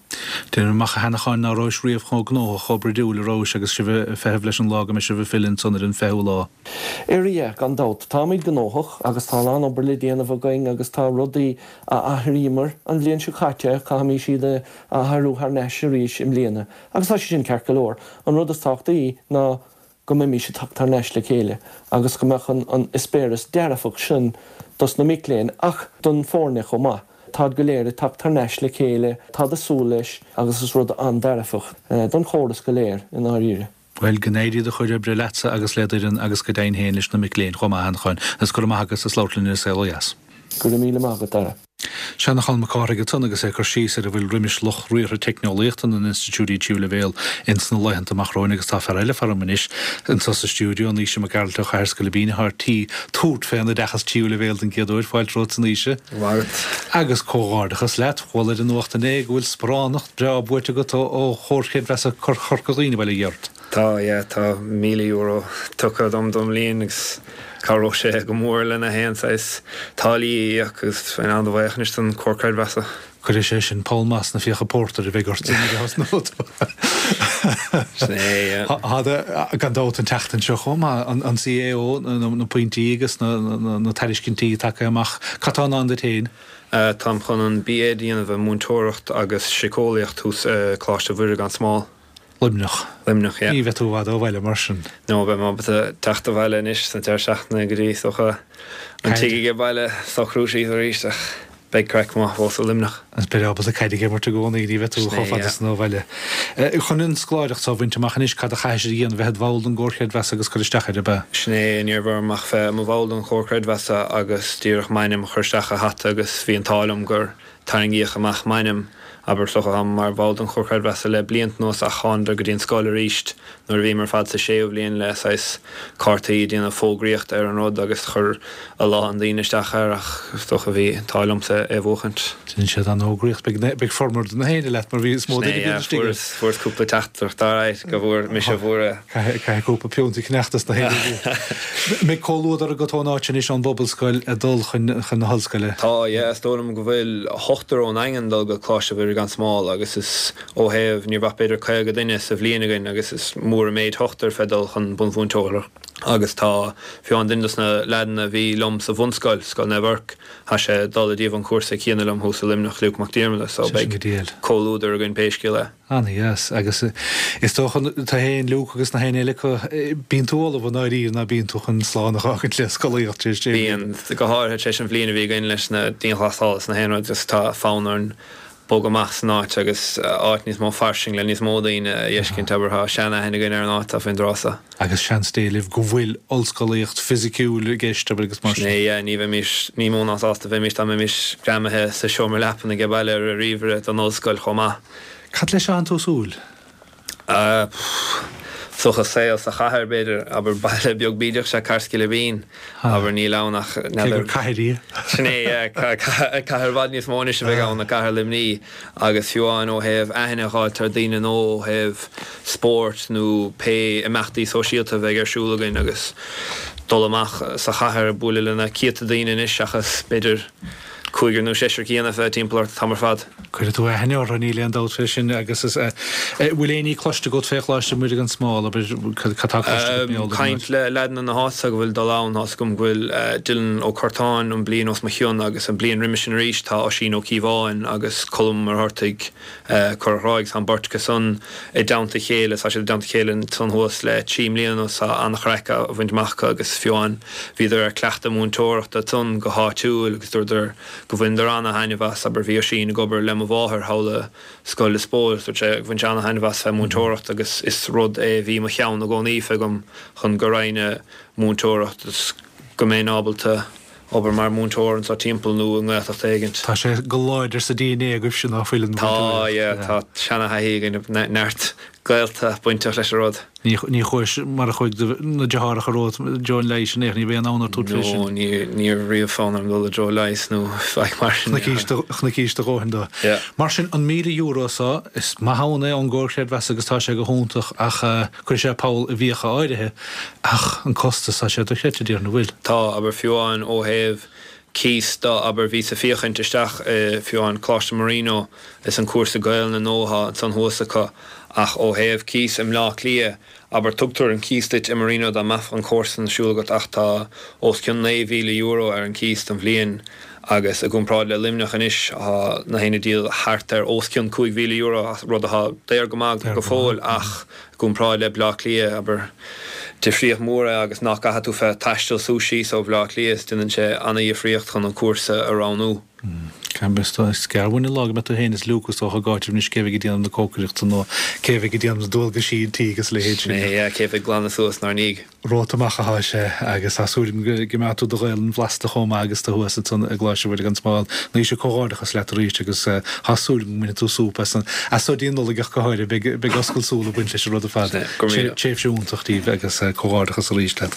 Déanaim amach a Sheanacháin ná rabhais riamh chomh gnóthach, chomh bruidiúil a rabhais agus sibh ag feitheamh leis an lá go mbeidh sibh ag filleadh ansan ar an 20ú lá. Ar yeah, gan dabht. Táimid gnóthach agus tá a lán obair le déanamh againn agus tá rudaí a athraíomar an bhliain seo caite, caithfimís iad a athrú thar n-ais arís i mbliana. Agus tá sé sin ceart go leor. An rud is tábhachtaí ná go mbeimis ag teacht thar n-ais le chéile agus go mbeadh an eispéireas dearfach sin dos na mic léinn ach don foirne chomh maith. Táid go léir ag teacht thar n-ais le chéile, táid ag súil leis agus is rud an-dearfach don chóras go léir i ndáiríre. Bhuel, go n-éirí do chuid oibre leatsa agus le d'fhoireann agus go deimhin féin leis na mic léinn chomh maith, a Sheanacháin, agus go raibh maith agat as labhairt linn ar An Saol Ó Dheas. Go raibh míle maith agat, Dara. Seanachán Mac Cárthaigh ansan agus é ag cur síos ar a bhfuil roimis lucht riartha teicneolaíochta na n-institiúidí tríú leibhéal ins na laethanta amach romhainn agus tá fear eile faram anois anso sa stiúideo, Naoise Mac Gearailt ó Chathair Scoilbín atá ar tí tabhairt fén oideachas tríú leibhéal den gcéad uair. Fáilte romhat a Naoise. Mhaith. Agus comhghairdeachas leat. Chuala ar an nuacht inné go bhfuil sparánacht breá buaite agat ó Chomhar Creidmheasa Chorca Dhuibhne, bail ó Dhia ort. Tá, yeah, tá €1,000 tugtha dom don mbliain agus cabhróidh sé go mór le na haon saghas táillí a íoc agus bheinn an-bhuíoch anois don Chomhar Creidmheasa. Cuirfidh sé sin poll maith sna fiacha pórtair a bheidh ort nuair a thosnóidh tú. Sin é, yeah. Tá, gan dabht, an tseachtain seo chomh maith, an CAO, na pointí agus na tairiscintí tagtha amach. Cad tá i ndán duit féin? Táim chun an BA a dhéanamh i múinteoireacht agus síceolaíocht thuas i Coláiste Mhuire gan Smál. Luimneach. Luimneach, yeah. Ní bheidh tú i bhfad ó bhaile mar sin. No, beidh mé ábalta teacht abhaile anois sna deireadh seachtaine go dtí, is dócha, an tigh age baile, socrú síos arís ach beidh craic maith fós i Luimneach. Agus beidh ábalta caid ag imirt i gcónaí, ní bheidh tú chomh fada san ó bhaile. Chun an scoláireacht seo a bhaint amach anois, cad a chaithfidh siad a dhéanamh, bheith id bhall den gComhar Creidmheasa agus cur isteach air, ab ea? Sin é, ní raibh orm ach bheith i mo bhall den Chomhar Creidmheasa agus díreach m'ainm a chur isteach i hata agus bhí an t-ádh liom gur Tarraingíodh amach m'ainm, abair, is dócha, táim mar bhall den Chomhar Creidmheasa le blianta anuas ach thánadar go dtí an scoil arís nuair a bhíomar ar fad sa séú bhliain le saghas cártaí ag déanamh fógraíocht ar an rud agus chuir a lán daoine isteach air ach is dócha bhí an t-ádh liomsa é a bhuachaint. Dhein siad an-fhógraíocht. Beidh formhór de na héinne leat mar bhí is mó duine a bhíonn istigh air. Fuaireas cúpla teachtaireacht alright go bhfuair mise a bhfuair é. Caithfidh cúpla piúnta cneachta sna héinne. Mbeidh comhluadar agat ón áit anois ón bPobalscoil ag dul chun na hollscoile? Tá, yeah, is dóigh liom go bhfuil ochtar ón nDaingean ag dul go Coláiste Mhuire gan Smál agus is ó thaobh, ní raibh ach b'fhéidir 50 duine sa bhliain againn agus is mór an méid ochtar fé dul chun bunmhúinteoireacht agus tá fiú amháin duine dos na leaideanna a bhí liom sa bhunscoil, Scoil Naomh Eirc, tá sé ag dul ag déanamh an chúrsa céanna liom thuas i Luimneach, Luke Mac Diarmada, so beidh comhluadar againn pé scéal é. Ana-dheas. Agus is dócha, tú fhéin, Luke, agus na héinne eile acu, bíonn tú ullamh i ndáiríre, ná bíonn tú chun slán a dh'fhágaint le scolaíocht tar éis sé bliana? Bíonn, go háirithe tar éis an bhliain a bhí againn leis na dianghlasála is na haon rud, just tá fonn orainn. Bogadh amach as an áit agus áit níos mó fairsing le níos mó daoine a fheiscint, abair, tá sean-aithne againn ar an áit atá faoin dtráth so. Agus seans Dé libh go bhfuil ollscolaíocht fisiciúil i gceist, abair, agus mar sin. Sin é, yeah, ní bheimis ní mó ná sásta bheimis dá mbeimis greamaithe sa seomra leapan age baile ar an ríomhaire don ollscoil chomh maith. Cad leis a thánn tú ag súil? Is dócha saol sa chathair, b'fhéidir. Abair, baile beag bídeach is ea Cathair Scilipín. Abair, níl ann ach, Cé gur cathair í. Sin é, yeah. Cathair i bhfad níos mó anois a bheidh ann ná Cathair Luimnigh. Agus fiú amháin ó thaobh aithne a dh'fháilt ar daoine nó ó thaobh spóirt nó pé imeachtaí sóisialta a bheidh ar siúl againn agus dul amach sa chathair ag bualadh le na céadta daoine anois seachas, b'fhéidir, cúigear nó seisear céanna a bheith timpeall ort an t-am ar fad. Cuirfidh tú aithne orthu, níl aon dabht fé sin. Agus is, eh, bhfuil aon ní cloiste agat fé Choláiste Mhuire gan Smál, abair, cad tá cloiste agat mar gheall ar an Caint le leaideanna na háite go bhfuil dul ann, tá's agam go bhfuil Dylan Ó Curtáin an bliain os mo chionn agus an bliain roimis sin arís tá Oisín Ó Cíobháin agus Colm Ó Muircheartaigh Corra Thrá agus tá an beirt acu san i dteannta a chéile, tá siad i dteannta a chéile ansan thuas le 3 mbliana anuas, tá an-chraic á bhaint amach acu agus fiú amháin bhíodar ar cleachtadh múinteoireachta ansan go háitiúil agus dúradar go bhaineadar ana-thaitneamh as, abair bhí Oisín ag obair le mo mháthair thall i Scoil Lios Póil agus dúirt sé go bhain sé ana-thaitneamh as bheith múinteoireacht agus is rud é a bhí i mo cheann i gcónaí fé agam chun go raghainn ag múinteoireacht is go mbeinn ábalta obair mar mhúinteoir anseo timpeall nó i nGaeltacht éigint. Tá sé go láidir sa DNA agaibhse ná fuil an Tá, mhúinteoireacht. yeah, tá seana-thaithí againn, neart gaolta bainteach leis an rud. Ní, ní chuais mar a chuaigh do, na deartháireacha romhat i dtreo an leighis an ea, ní raibh aon fhonn ort tabhairt fé sin. No, ní, ní raibh riamh fonn orm dul i dtreo leighis nó faic mar sin. Chonaicis do, chonaicis do dhóthain dó. Yeah. Mar sin, an €1,000 so, is maith ann é ón gComhar Creidmheasa agus tá sé go hiontach ach eh, Cuirfidh sé poll i bhfiacha áirithe, ach an costas, tá sé dochreidte, déarfainn, an bhfuil? Tá, abair, fiú amháin ó thaobh cíos do, abair, bhíos ag féachaint isteach i, fiú amháin, Coláiste Marino is an cúrsa Gaelainne nua atá ansan thuas acu, ach ó thaobh cíos i mBleá Cliath, abair, tugtar an cíos duit i Marino dá mbeadh an cúrsa ar siúl agat ach tá os cionn €9,000 ar an cíos don bhliain agus i gcomparáid le Luimneach anois, tá na haon ag díol thart ar os cionn €5,000, rud atá daor go maith go fóill ach. I gcomparáid le Bleá Cliath, abair, difríocht mhór é agus nach gcaithfidh tú bheith ag taisteal suas síos ó Bhleá Cliath, is déanann sé ana-dhifríocht chun an cúrsa a roghnú. Is gearr uainn an lá go mbeidh tú féin is Luke is dócha ag áiteamh anois cé bheidh ag déanamh na cócaireachta nó cé bheidh ag déanamh na dualgaisí an tí agus a leithéid sin. Sin é, yeah, cé bheidh ag glanadh suas inár ndiaidh. Romhat amach atá sé agus tá súil agam go mbeidh tú i do Ghaelainn bhlasta chomh maith agus tú thuas ansan i gColáiste Mhuire gan Smál. Naoise, comhghairdeachas leat arís agus tá súil agam go mbainfidh tú súp as an, as so dtí an Nollaig ach go háirithe. Beidh, beidh oscailt súl ag baint leis an rud ar fad. Tréimhse iontach daoibh agus comhghairdeachas arís leat.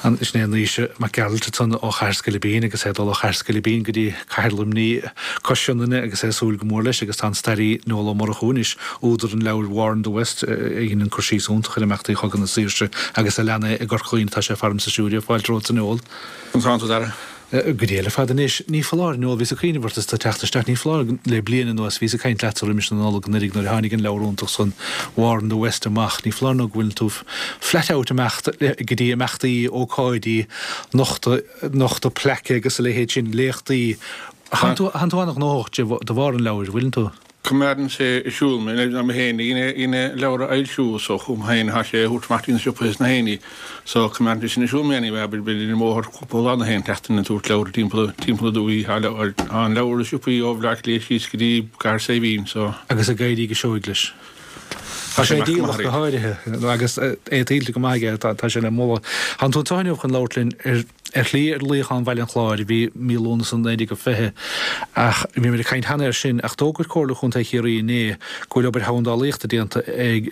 An, sin é Naoise Mac Gearailt ansan ó Chathair Scoilipín agus é ag dul ó Chathair Scoilipín go dtí Cathair Luimnigh cois Sionainne agus é ag súil go mór leis agus tá an staraí Noel Ó Murchú anois, údar an leabhair War in the West, a dheineann cur síos iontach ar imeachtaí Chogadh na Saoirse agus a lean é i gCorca Dhuibhne. Tá sé faramsa siúd. Fáilte romhat a Noel. Conas tánn tú, a Dhara? Go dea ar fad anois. Ní foláir, Noel, bhíos ag cuimhneamh ort is tú ag teacht isteach, ní foláir le bliain anuas, bhíos ag caint leatsa roimis na Nollag anuraidh nuair a tháinig an leabhar iontach san War in the West amach, ní foláir nó go bhfuil tú flat out imeacht go dtí imeachtaí, ócáidí, nochtadh, nochtadh plaice agus a leithéid sin, léachtaí. Thánn tú an-ghnóthach de bharr an leabhair, bhfuileann tú? Coimeádann sé ar siúl mé, ná mé féin a dhein an leabhar a fhoilsiú so chugam féin atá sé a thabhairt amach dtí na siopaithe is na héinní so coimeádann sé sin ar siúl mé anyway, abair b'fhéidir ar an mbóthar cúpla lá na haon tseachtain ag tabhairt leabhartha timpeall timpeall na dúichí, tá an leabhar i siopaí ó Bhleá Cliath síos go dtí Cathair Saidhbhín so. Agus ag éirí go seoigh leis. Tá sé díolach go háirithe agus é tuillte go maith aige, tá sé le moladh. Tánn tú anseo inniu chun labhairt linn ar ar shlí ar luíochán Bhaile an Chláir a bhí mí Lúnasa 1920 ach bhí muid ag caint cheana air sin ach d'fhógair Comhairle Chontae Chiarraí inné go bhfuil obair sheandálaíochta déanta ag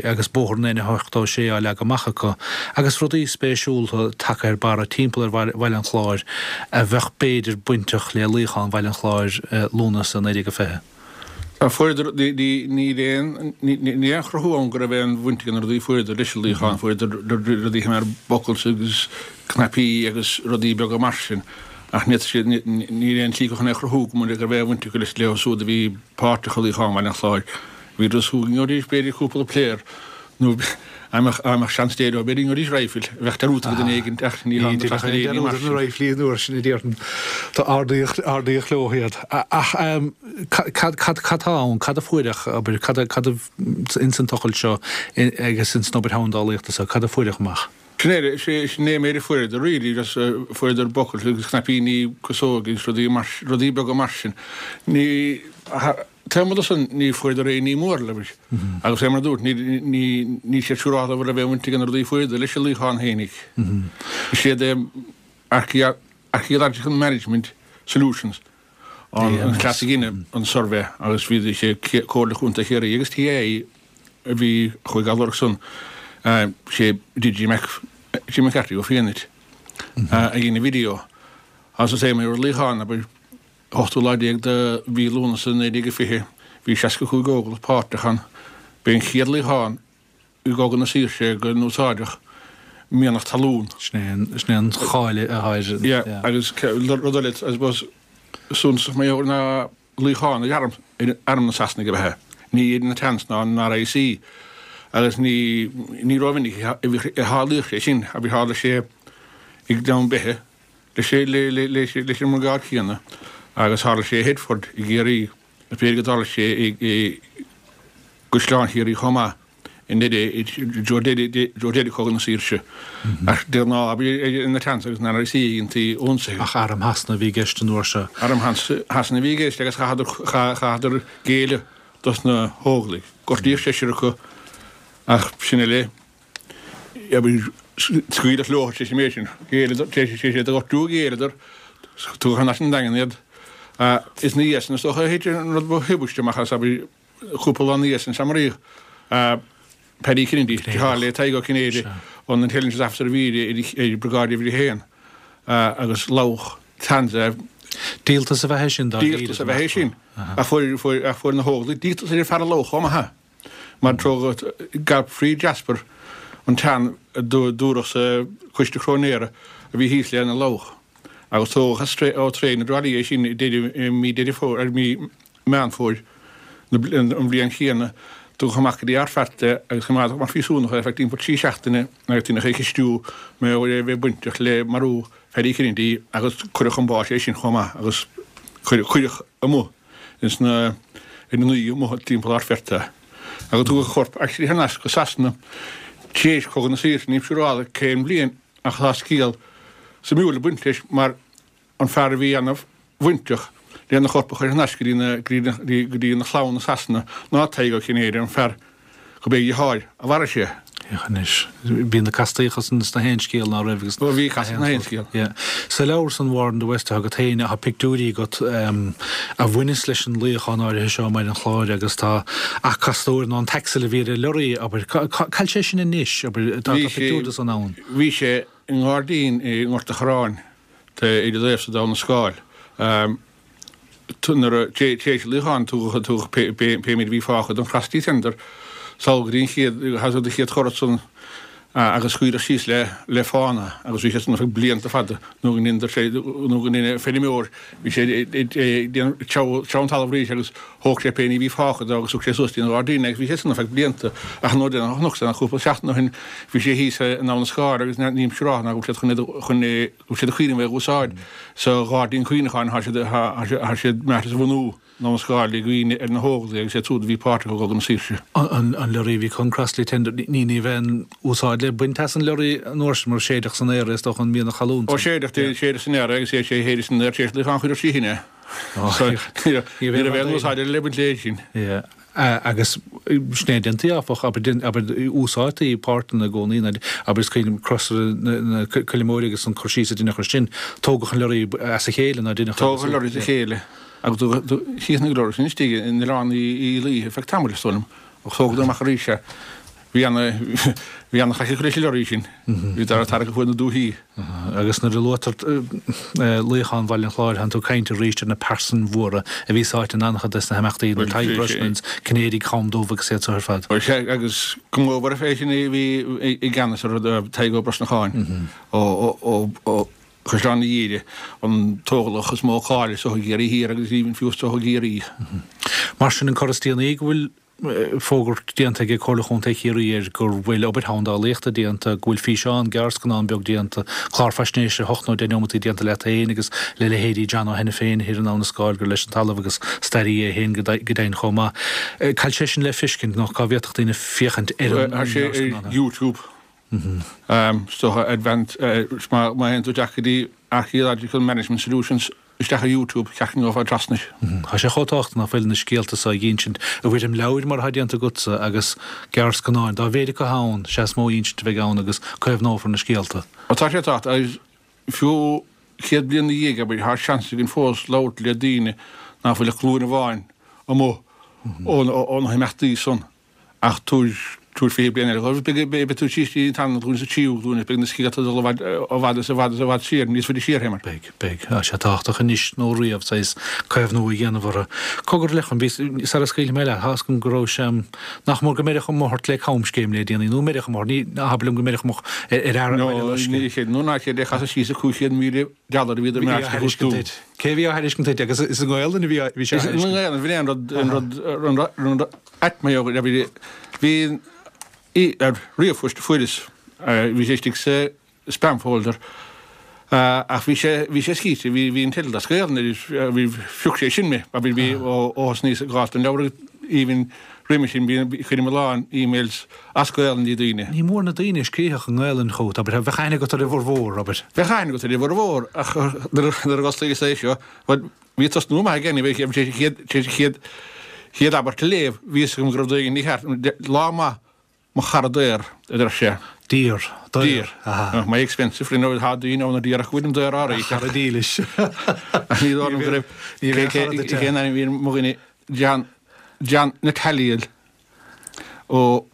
agus bóthar an N86 á leagadh amach acu agus rudaí spéisiúla tagtha ar barra timpeall ar Bhaile an Chláir a bheadh b'fhéidir bainteach le luíochán Bhaile an Chláir Lúnasa 1920. Tá fuaireadar, níl aon, níl aon chruthú ann go raibh aon bhaint ag na rudaí a fuaireadar leis an luíochán, fuaireadar rudaí mar buckles agus cnaipí agus rudaí beaga mar sin ach ní siad, níl aon tslí chun é a chruthú go raibh aon bhaint acu leis leo siúd a bhí páirteach i luíochán Bhaile an Chláir. Bhíodar ag súil go ngeobhaidís b'fhéidir cúpla pléar nó dá mbeadh seans Dé leo b'fhéidir go ngeobhaidís raidhfil a bheadh dearúdta ag duine éigin ach ní thángthas ar aon ní mar sin. Na raidhflí an uair sin a déarfainn. Tá ardaíodh, ardaíodh leo iad. Ach cad, cad, cad tá ann? Cad a fuaireadh, abair, cad a, cad a, ins an tochailt seo agus ins an obair sheandálaíochta seo, cad a fuaireadh amach? Sin é, sin é an méid a fuaireadar really, just fuaireadar buckles agus cnaipíní casóige agus rudaí mar, rudaí beaga mar sin. Ní, taobh amuigh de san ní fuaireadar aon ní mór leis. Agus fé mar a dúirt, ní, ní, níl siad siúrálta an raibh aon bhaint ag na rudaí a fuaireadar leis an luíochán fhéinig. Is iad Archaeological Management Solutions an cleas a dhein an suirbhé agus bhí sé Comhairle Chontae Chiarraí agus TII a bhí chuig á lorg san, sé D.G. Mac, Jim McCarthy ó Fianait a dhein an video. Agus is é mar luíochán, abair, ochtú lá déag de mhí Lúnasa 1920, bhí 65 óglach páirteach ann. B'é an chéad luíochán i gCogadh na Saoirse go n-úsáideadh mianach talún. Sin é an cháil atá air. Yeah, agus rud eile, I suppose, suntasach mar gheall ná luíochán ar arm, ar arm na Sasanaigh ab ea é. Ní ar na Tans ná an RIC. Agus ní, ní rómhinic a tharlaíodh sé sin, abair tharla sé i nGleann Beithe leis, leis an mbriogáid chéanna agus tharla sé i Headford i gCiarraí. B'fhéidir go dtarla sé i gCaisleán Chiarraí chomh maith i dtreo deireadh Chogadh na Saoirse. Ach de ghnáth, abair, ar na Tans agus an RIC a dhéantaí ionsaithe. Ach arm Shasana a bhí i gceist an uair seo. Arm Shasana a bhí i gceist agus chaitheadar géilleadh dos na hÓglaigh. Gortaíodh seisear acu ach sin uile. Scaoileadh leo tar éis an méid sin. Ghéilleadar, tar éis iad a ghortú, ghéilleadar, tugadh thar n-ais an Daingean iad. Is ina dhiaidh sin is dócha a thit an rud ba thubaiste amach as, abair, cúpla lá ina dhiaidh sin, sea, maraíodh Paddy Kennedy, deartháir le Tadhg Ó Cinnéide, an Intelligence Officer a bhí ar Briogáid Uimhir a hAon, agus lamhach Tans é. Díoltas ab ea é sin, dáiríre. Díoltas ab ea é sin. Ach fuair na hÓglaigh díoltas ar an fear a lamhach chomh maith. Mar tógadh Godfrey Jasper, an Tan a dúradh sa Choiste Cróinéara a bhí thíos lena lamhach, agus tógadh as ó traein i dTrá Lí é sin i mí Deireadh Fómhair, mí Meán Fómhair an bhliain chéanna. Tugadh amach go dtí Ardfheart é agus coimeádadh mar phríosúnach é ar feadh timpeall 3 seachtaine agus deineadh é a cheistiú mar gheall ar a bheith bainteach le marú Phaddy Kennedy agus cuireadh chun báis é sin chomh maith agus cuireadh amuigh ins na ar na naoi amuigh timpeall Ardfheart é. Agus tugadh a chorp actually thar n-ais go Sasana tar éis Chogadh na Saoirse, nílim siúráilte cén bhliain ach tá scéal suimiúil ag baint leis mar an fear a bhí ana bhainteach lena chorp a chur thar n-ais go dtí na go dtí na chlann i Sasana ná Tadhg Ó Cinnéide an fear gurb é a dheartháir a mharaigh sé. Féach anois. Bhí na castaíocha san sna haon scéal ná raibh agus. Ó bhí castaíocht sna haon scéal. Yeah. Sa leabhar san War in the West atá agat féin, tá pictiúirí agat a bhaineas leis an luíochán áirithe seo i mBaile an Chláir agus tá acastóir nó an t-axle a bhí ar an lorry, abair. Cá bhfuil sé sin anois, abair? Tá pictiúr de san ann. Bhí sé i ngairdín i nGort a' Chorráin, ar do thaobhsa d'Abha na Scáil. Nuair a, tar éis an luíocháin, tugadh, tugadh pé, pé, pé méid a bhí fágtha den Crossley Tender sall go dtí an chéad, an chéad churach san agus scaoileadh síos le, le fána agus bhí sé san ar feadh blianta fada nó go ndeineadar sé, nó go ndeineadh feirmeoir, bhí sé ag déanamh treabhadh, treabhadh an talamh arís agus thóg sé pé ní a bhí fágtha de agus thug sé suas dtí an ghairdín é agus bhí sé san ar feadh blianta ach nuair a chonac sé cúpla seachtain ó shin bhí sé thíos in Abha na Scáil agus nílim siúráilte ná go bhfuil siad chun é, chun é, go bhfuil siad ag cuimhneamh é a úsáid sa ghairdín cuimhneacháin, tá siad, tá siad meáite a bhunú in Abha na Scáil i gcuimhne ar na hÓglaigh agus iad siúd a bhí páirteach i gCogadh na Saoirse. An lorry a bhí chun Crossley Tender, ní, ní bheadh aon úsáid le baint as an lorry an uair sin mar séideadh san aer é is dócha an mianach talún Ó séideadh, séideadh san aer é agus é séideadh san aer tar éis luíochán chuireadh sí thine. Ní raibh aon úsáid eile le baint léi sin. Agus sin é a déantaí, áfach, abair, abair, úsáidtí páirteanna i gcónaí, ná, abair, is cuimhin liom crosaire na Coille Móire agus an cur síos a deineadh air sin, tógadh an lorry as a chéile, ná deineadh. Tógadh an lorry as a chéile agus thíos na lorry sin istigh in Oileán Uí Laoithe ar feadh tamaill, is dóigh liom, ach tógadar amach arís é. Bhí ana, bhí ana chac acu leis an lorry sin. Bhí dara tarrac ar fuaid na dúichí. Agus nuair a luaitear luíochán Bhaile an Chláir, tánn tú ag caint arís ar na pearsain mhóra a bhí sáite in an-chuid des na himeachtaí, na Tadhg Brosnans, Cinnéidigh Cham Dubh agus iad seo ar fad. Bhuel, sea, agus go mór mhór é sin a bhí i gceannas ar Tadhg Ó Brosnacháin ó Chaisleán na Dhoire, an t-óglach is mó cáil is dócha i gCiarraí Thiar agus even fiú is dócha i gCiarraí. Mar sin, an cor is déanaí go bhfuil fógairt déanta ag Comhairle Chontae Chiarraí air go bhfuil obair sheandálaíochta déanta, go bhfuil físeán, gearrscannán beag déanta, clár faisnéise 8 nó 10 neomataí déanta leat féin agus le leithéidí John Ó hAiniféin thiar in Abha na Scáil gur leis an talamh agus staraí é féin go deimhin chomh maith. Cá bhfuil sé sin le feiscint nó cá bhféadfadh daoine féachaint ar an Tá sé ar YouTube. Is dócha Advanced, má théann tú isteach go dtí Archaeological Management Solutions isteach ar YouTube, cheartneofá trasna. Tá sé chomh tábhachtach ná fuil na scéalta so a dh'insint i bhfoirm leabhair mar atá déanta agatsa agus gearrscannáin. Dá mhéid acu ann, sea is mó insint a bheidh ann agus caomhnófar na scéalta. Tá sé tábhachtach agus fiú 100 bliain ina dhiaidh, abair, tá seans againn fós labhairt le daoine ná fuil ach glúin amháin amuigh ó na himeachtaí san. Ach tabhair, tabhair 20 bliain eile dhóibh, beidh, beidh tú síos dtí an tarna glúin is an tríú glúin agus beidh na scéalta ag dul i bhfad, i bhfad is i bhfad is i bhfad siar, níos faide siar, Éamonn. Beidh, beidh. Tá sé tábhachtach anois nó riamh, saghas caomhnú a dhéanamh orthu. Cogar a Lorcáin, bhí, sara scaoilfidh mé leat, tá fhios agam go raibh sé, nach mór go mbeirfeadh amuigh ort le camscéim le déanaí, nó mbeirfeadh amuigh ort, ní, abair liom go mbeirfeadh amuigh ar fhear No, ní chéad, nó ná chéad é chasadh síos a 500,000 dollar a bhíodar Bhí á thairiscint duit. Cé a bhí á thairiscint duit agus is i nGaelainn a bhí, bhí sé á thairiscint? Is i nGaelainn, bhí an rud, an rud, an rud, an rud, Aicme Bhí ar ríomhphost a fuaireas, bhí sé istigh sa spam folder ach bhí sé, bhí sé scríte, bhí, bhí an teideal as Gaelainn air, bhí, phioc sé sin mé, bhí, bhí ó thosnaíos ag gabháil don leabhar even roimhe sin, bhí, chuirim a lán emails as Gaelainn dtí daoine. Ní mór na daoine a scríobhadh i nGaelainn chugat, abair, bheadh aithne agat ar a bhformhór, abair. Bheadh aithne agat ar a bhformhór ach nuair a dh'osclaíos é seo, bhuel, Bhí tosnú maith aige, bhí sé tar éis an chéad abairt a léamh, bhí fhios agam go raibh rud éigin mícheart, lá maith mo chara daor, a deir sé. Dear, daor, aha. My expensive friend, tá daoine ann a déarfadh go bhfuilim daor áirithe. A chara dílis. Ach ní dóigh liom go raibh, cén ainm a bhí ar mo dhuine, John, John Nataliel ó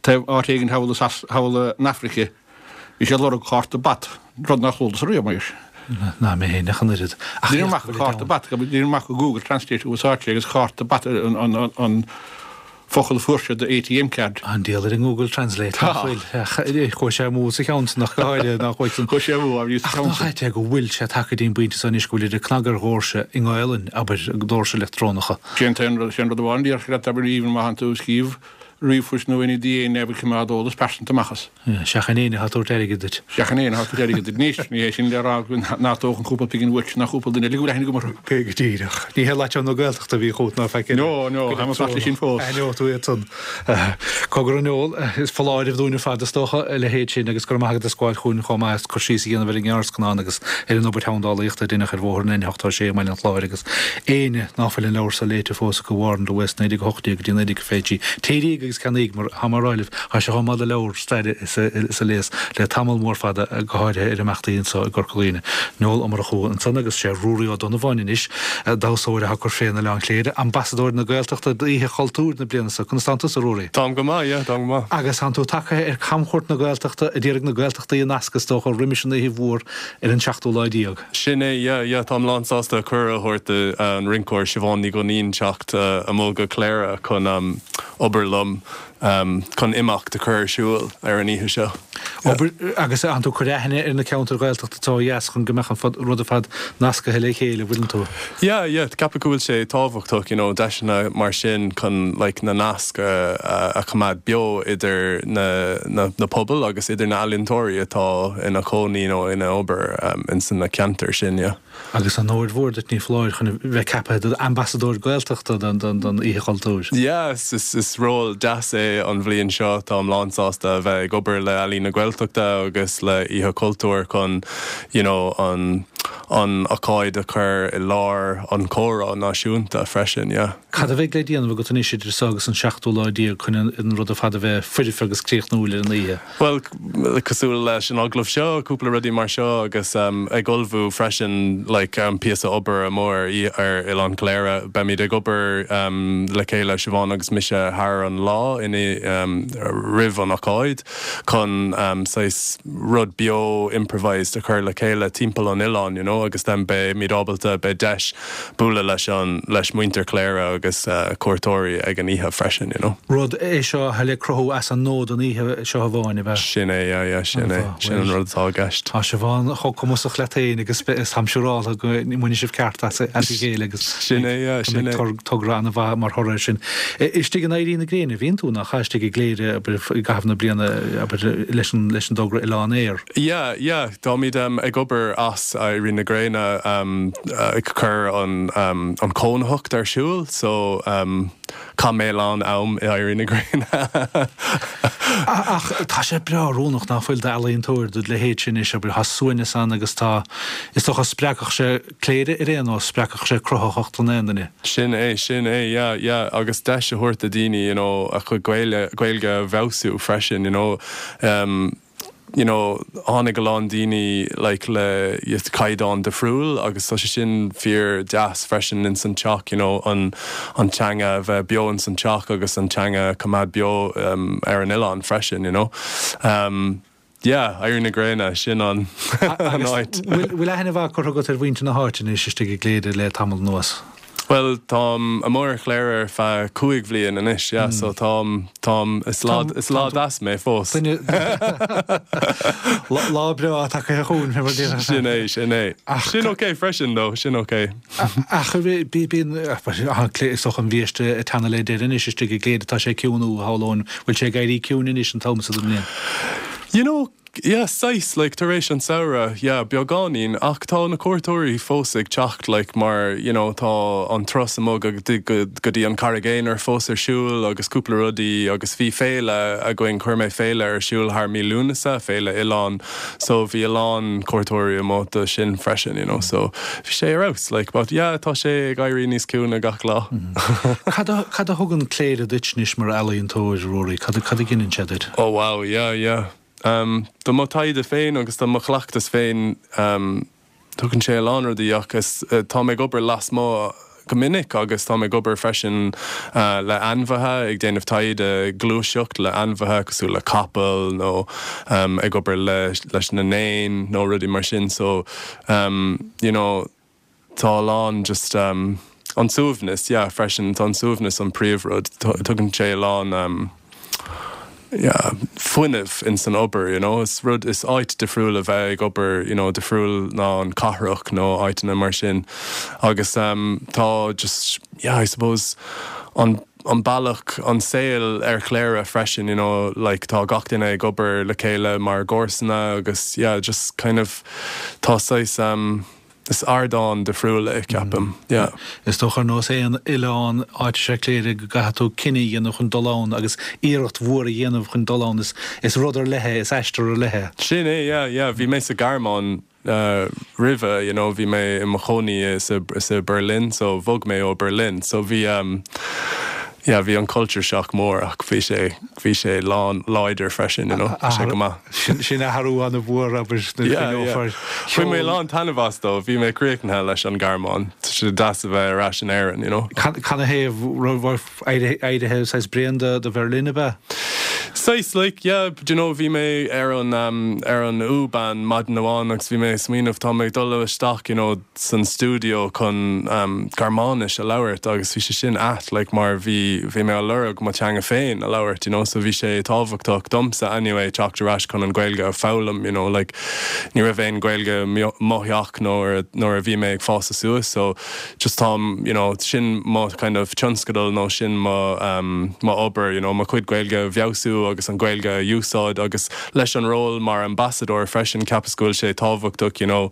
taobh áit éigin thall thall in Afraice, bhí sé ag lorg cárta bat, rud nár chualas riamh mar. Ná mé féin ach an oiread. Ach Deirim amach cárta bat, deirim amach Google Translate a úsáid sé agus cárta bat an focal a fuair sé do ATM card. An diabhal ar an nGoogle Translate, nach bhfuil? Chuaigh sé amú sa cheann san ach go háirithe, nach bhfuil san. Chuaigh sé amú, bhí sa cheann san. Ach nach ait é go bhfuil sé tagtha go dtí an bpointe seo anois go bhfuil idir cnag ar dhoirse i nGaelainn, abair, doirse leictreonacha. Sin an rud amháin a déarfadh leat, abair, even má thánn tú ag scríobh ríomhphoist nó aon ní eile, coimeád eolas pearsanta amach as. Seachain éinne atá ag tabhairt airgid duit. Seachain éinne atá ag tabhairt airgid duit. Anois, ní hé sin le rá nach dtógfainn cúpla pingin uait ná cúpla duine eile go bhfuil aithne agam orthu. Go díreach. Ní hé Leatrán na Gaeltachta a bhí chugat ná faic eile. No, no, táim ag fanacht leis sin fós. Aithneoidh tú iad san. Cogar a Noel, is foláireamh dúinn ar fad is dócha, a leithéid sin agus go raibh maith agat as gabháil chugainn chomh maith as cur síos a dhéanamh ar an ngearrscannán agus ar an obair sheandálaíochta a deineadh ar bhóthar an N86 i mBaile an Chláir agus éinne ná fuil an leabhar so léite fós acu, War in the West, 1918 go dtí 1923. Téiríg agus ceannaíg, mar tá mé ag rá libh, tá sé chomh maith le leabhar staire is a léas le tamall mór fada, go háirithe ar imeachtaí anso i gCorca Dhuibhne. Noel Ó Murchú ansan agus sé Ruairí Ó Donnabháin anois, damhsóir atá ag cur fé in Oileán Chléire, ambasadóir na Gaeltachta d'Oíche Chultúir na bliana so. Conas tánn tusa, a Ruairí? Táim go maith, yeah, táim go maith. Agus tánn tú tagtha ar camchuairt na Gaeltachta a d'iarraidh na Gaeltachtaí a nascadh, is dócha, roimis an oíche mhór ar an seachtú lá déag. Sin é, yeah, yeah, táim lán sásta cuireadh a thabhairt do an rinceoir Siobhán Ní Dhuinnín teacht amuigh go Cléire chun obair liom chun imeacht a chur ar siúl ar an oíche seo. Obair, agus tánn tú ag cur aithne ar na ceantair Ghaeltachta atá ó dheas chun go mbeadh an rud ar fad nascaithe le chéile, bhfuileann tú? Yeah, yeah, ceapaim go bhfuil sé tábhachtach, you know, deiseanna mar sin chun like na naisc a choimeád beo idir na na pobail agus idir na ealaíontóirí atá ina chónaí nó ina obair ins na ceantair sin, yeah. Agus onóir mhór duit, ní foláir, chun a bheith ceaptha i d'ambasadóir Gaeltachta don Oíche Chultúir. Yeah, is ról deas é an bhliain seo. Táim lán-sásta a bheith ag obair le Ealaín na Gaeltachta agus le Oíche Chultúir chun you know an an ocáid a chur i lár an chomhrá náisiúnta freisin, yeah. Cad a bheidh le déanamh agat anois idir seo agus an seachtú lá déag chun an rud ar fad a bheith foirfe agus críochnúil ar an oíche? Bhuel, cosúil leis an agallamh seo, cúpla rudaí mar seo agus ag ullmhú freisin like an píosa obair amuigh ar ar Oileán Chléire. Beimid ag obair le chéile, Siobhán agus mise, thar an lá roimh an ocáid chun saghas rud beo improvised a chur le chéile timpeall an oileáin, you know, agus then beimid ábalta, beidh deis bualadh leis an, leis muintir Chléire agus cuairteoirí ag an oíche freisin, you know. Rud é seo atá le cruthú as an nua don oíche seo amháin, ab ea? Sin é, yeah, yeah, sin é. Sin an rud atá i gceist. Tá Siobhán chomh cumasach leat féin agus táim siúráltha go mbainfidh sibh ceart as a chéile agus Sin é, yeah, sin é. go mbeidh togra an-mhaith mar thoradh air sin. Istigh in Éirí na Gréine a bhíonn tú, nach ea? Istigh i gCléire, abair, i gcaitheamh na bliana, abair, leis an, leis an dtogra Oileán Air. Yeah, yeah, táimid ag obair as Éirí na Gréine ag cur an an chónaitheacht ar siúl so. Chaith mé a lán am i Éirí na Gréine. Ach tá sé breá oiriúnach ná fuil d'ealaíontóir do leithéid sin anois, abair, tá suaimhneas ann agus tá, is dócha, spreagfadh sé Cléire ar aon nós, spreagfadh sé cruthaitheacht in aon duine. Sin é, sin é, yeah, yeah, agus deis a thabhairt do daoine, you know, a chuid Gaeilge, Gaeilge a bhfeabhsú freisin, you know. Um, you know, tháinig a lán daoine like le caighdeán difriúil agus tá sé sin fíor deas freisin ins an teach, you know, an, an teanga a bheith beo ins an teach agus an teanga a coimeád beo um, ar an oileán freisin, you know. Um, yeah, Éirí na Gréine, sin an, an áit. Bhfuil aithne mhaith curtha agat ar mhuintir na háite anois istigh i gCléire le tamall anuas? Bhuel, táim amuigh ar Chléire ar feadh 5 bhliain anois, yeah, so táim, táim, is lá, is lá deas mé fós. Duine, lá breá tagtha chugainn, fé mar déarfá. Sin é, sin é. Sin ok freisin though, sin ok. Ach bíonn, is dócha an bhiaiste ag teannadh le deireadh anois istigh i gCléire, tá sé ciúin, nó shamhlóinn, bhfuil sé ag éirí ciúin anois an t-am so den bhliain? You know, Yeah, saghas, like, tar éis an samhradh, yeah, beagáinín, ach tá na cuairteoirí fós ag teacht, like, mar, you know, tá an turas amuigh go go go dtí an Carraig Aonair fós ar siúl agus cúpla rudaí agus bhí féile againn, chuir mé féile ar siúl thar mí Lúnasa, féile oileáin, so bhí a lán cuairteoirí amuigh do sin freisin, you know, so bhí sé ar fheabhas, like, but yeah, tá sé ag éirí níos ciúine gach lá. Cad a cad a thugann Cléire duit anois mar ealaíontóir, Ruairí, cad a cad a ghineann sé duit? Oh wow, yeah, yeah. Do mo taighde féin agus do mo chleachtas féin, tugann sé a lán rudaí ach táim ag obair lasmuigh go minic agus táim ag obair freisin le ainmhithe, ag déanamh taighde gluaiseacht le ainmhithe cosúil le capall nó ag obair leis na n-éin nó rudaí mar sin so you know Tá a lán just um an suaimhneas yeah freisin tá an suaimhneas an príomhrud tugann sé a lán um yeah fuinneamh in san obair you know is rud is áit difriúil a bheith ag obair you know difriúil ná an cathrach nó áiteanna mar sin agus um tá just yeah I suppose an an bealach an saol ar Chléire freisin you know like tá gach duine ag obair le chéile mar gcomharsana agus yeah just kind of tá saghas um Is ardán difriúil é, ceapaim. Yeah. Is dócha ar nós aon oileán, áit is ea Cléire, go gcaithfidh tú cinneadh a dhéanamh chun dul ann agus iarracht mhór a dhéanamh chun dul ann. Is rud ar leith é, is aistear ar leith é. Sin é, yeah, yeah. Bhí mé sa Ghearmáin roimhe, you know, bhí mé i mo chónaí sa, sa Berlin, so bhog mé ó Berlin. So bhí, yeah, bhí an culture shock mór ach bhí sé, bhí sé lán, láidir freisin, you know, bhí sé go maith. Sin athrú an-mhór abair nuair a chuimhneofar. Bhain mé a lán taitneamh as though, bhí mé críochnaithe leis an Ghearmáin. Tá sé deas a bheith ar ais in Éirinn, you know. Canathaobh raibh éirithe saghas bréan de Bherlin ab ea? Saghas, like, yeah, do you know, bhí mé ar an, ar an U-Bahn maidin amháin agus bhí mé ag smaoineamh, tá mé ag dul isteach, you know, san stiúideo chun Gearmáinis a labhairt agus bhí sé sin ait like mar bhí bhí mé á lorg mo teanga féin a labhairt you know so bhí sé tábhachtach domsa anyway teacht ar ais chun an Ghaeilge a foghlaim you know like ní raibh aon Ghaeilge mo theach nuair nuair a bhí mé ag fás suas so just táim you know sin mo kind of tionscadal nó sin mo mo obair you know mo chuid Gaeilge a bhfeabhsú agus an Ghaeilge a úsáid agus leis an ról mar ambassadóir freisin ceapas go bhfuil sé tábhachtach you know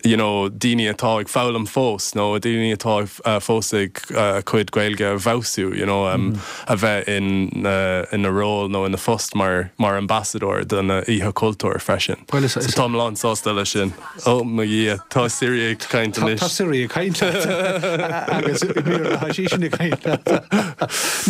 you know daoine atá ag foghlaim fós nó daoine atá fós ag a cuid Gaeilge a bhfeabhsú you know a bheith in ina ról nó ina phost mar mar ambassadóir don Oíche Chultúir freisin. Bhuel is So táim lán sásta leis sin. Ó mo Dhia, tá Siri ag caint anois. Tá Siri ag caint leat agus i mBéarla tá sí sin ag caint leat.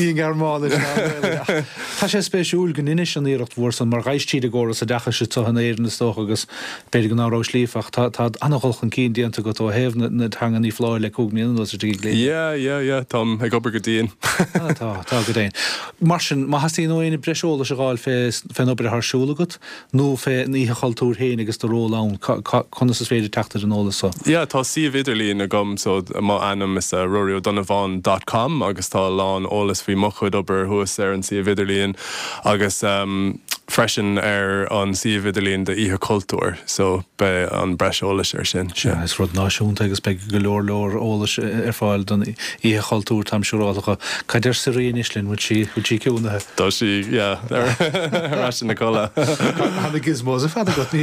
Ní i nGearmáinis ná i nGaeilge ach tá sé spéisiúil go ndeinis an iarracht mhór san mar ghabhais tríd an gcóras oideachais anseo in Éirinn is dócha agus B'fhéidir go ná rabhais líofa ach tá tá an-dhul chun cinn déanta agat ó thaobh na na teanga ní foláir le 5 mbliana anuas istigh i gCléire. Yeah, yeah, yeah, táim ag obair go dian. Ah, tá, tá go deimhin. Mar sin, má theastaíonn ó éinne breis eolais a dh'fháil fé fén obair atá ar siúl agat nó fé an Oíche Chultúir féin agus do ról ann, cá cá conas is féidir teacht ar an eolas so? Yeah, tá suíomh idirlín agam so mo ainm is ea Rory Ó Donnabháin dot com agus tá a lán eolas faoi mo chuid obair thuas ar an suíomh idirlíon agus ehm. Freisin ar an suíomh idirlín do Oíche Chultúir so beidh an breis eolais ar sin. Sea, is rud náisiúnta agus beidh go leor leor eolais ar fáil don Oíche Chultúir, táim siúráltha. Cad deir Siri anois linn, bhfuil sí, bhfuil sí ciúnaithe? Tá sí, yeah, ar ais ina codladh. Tá na gizmos ar fad agat,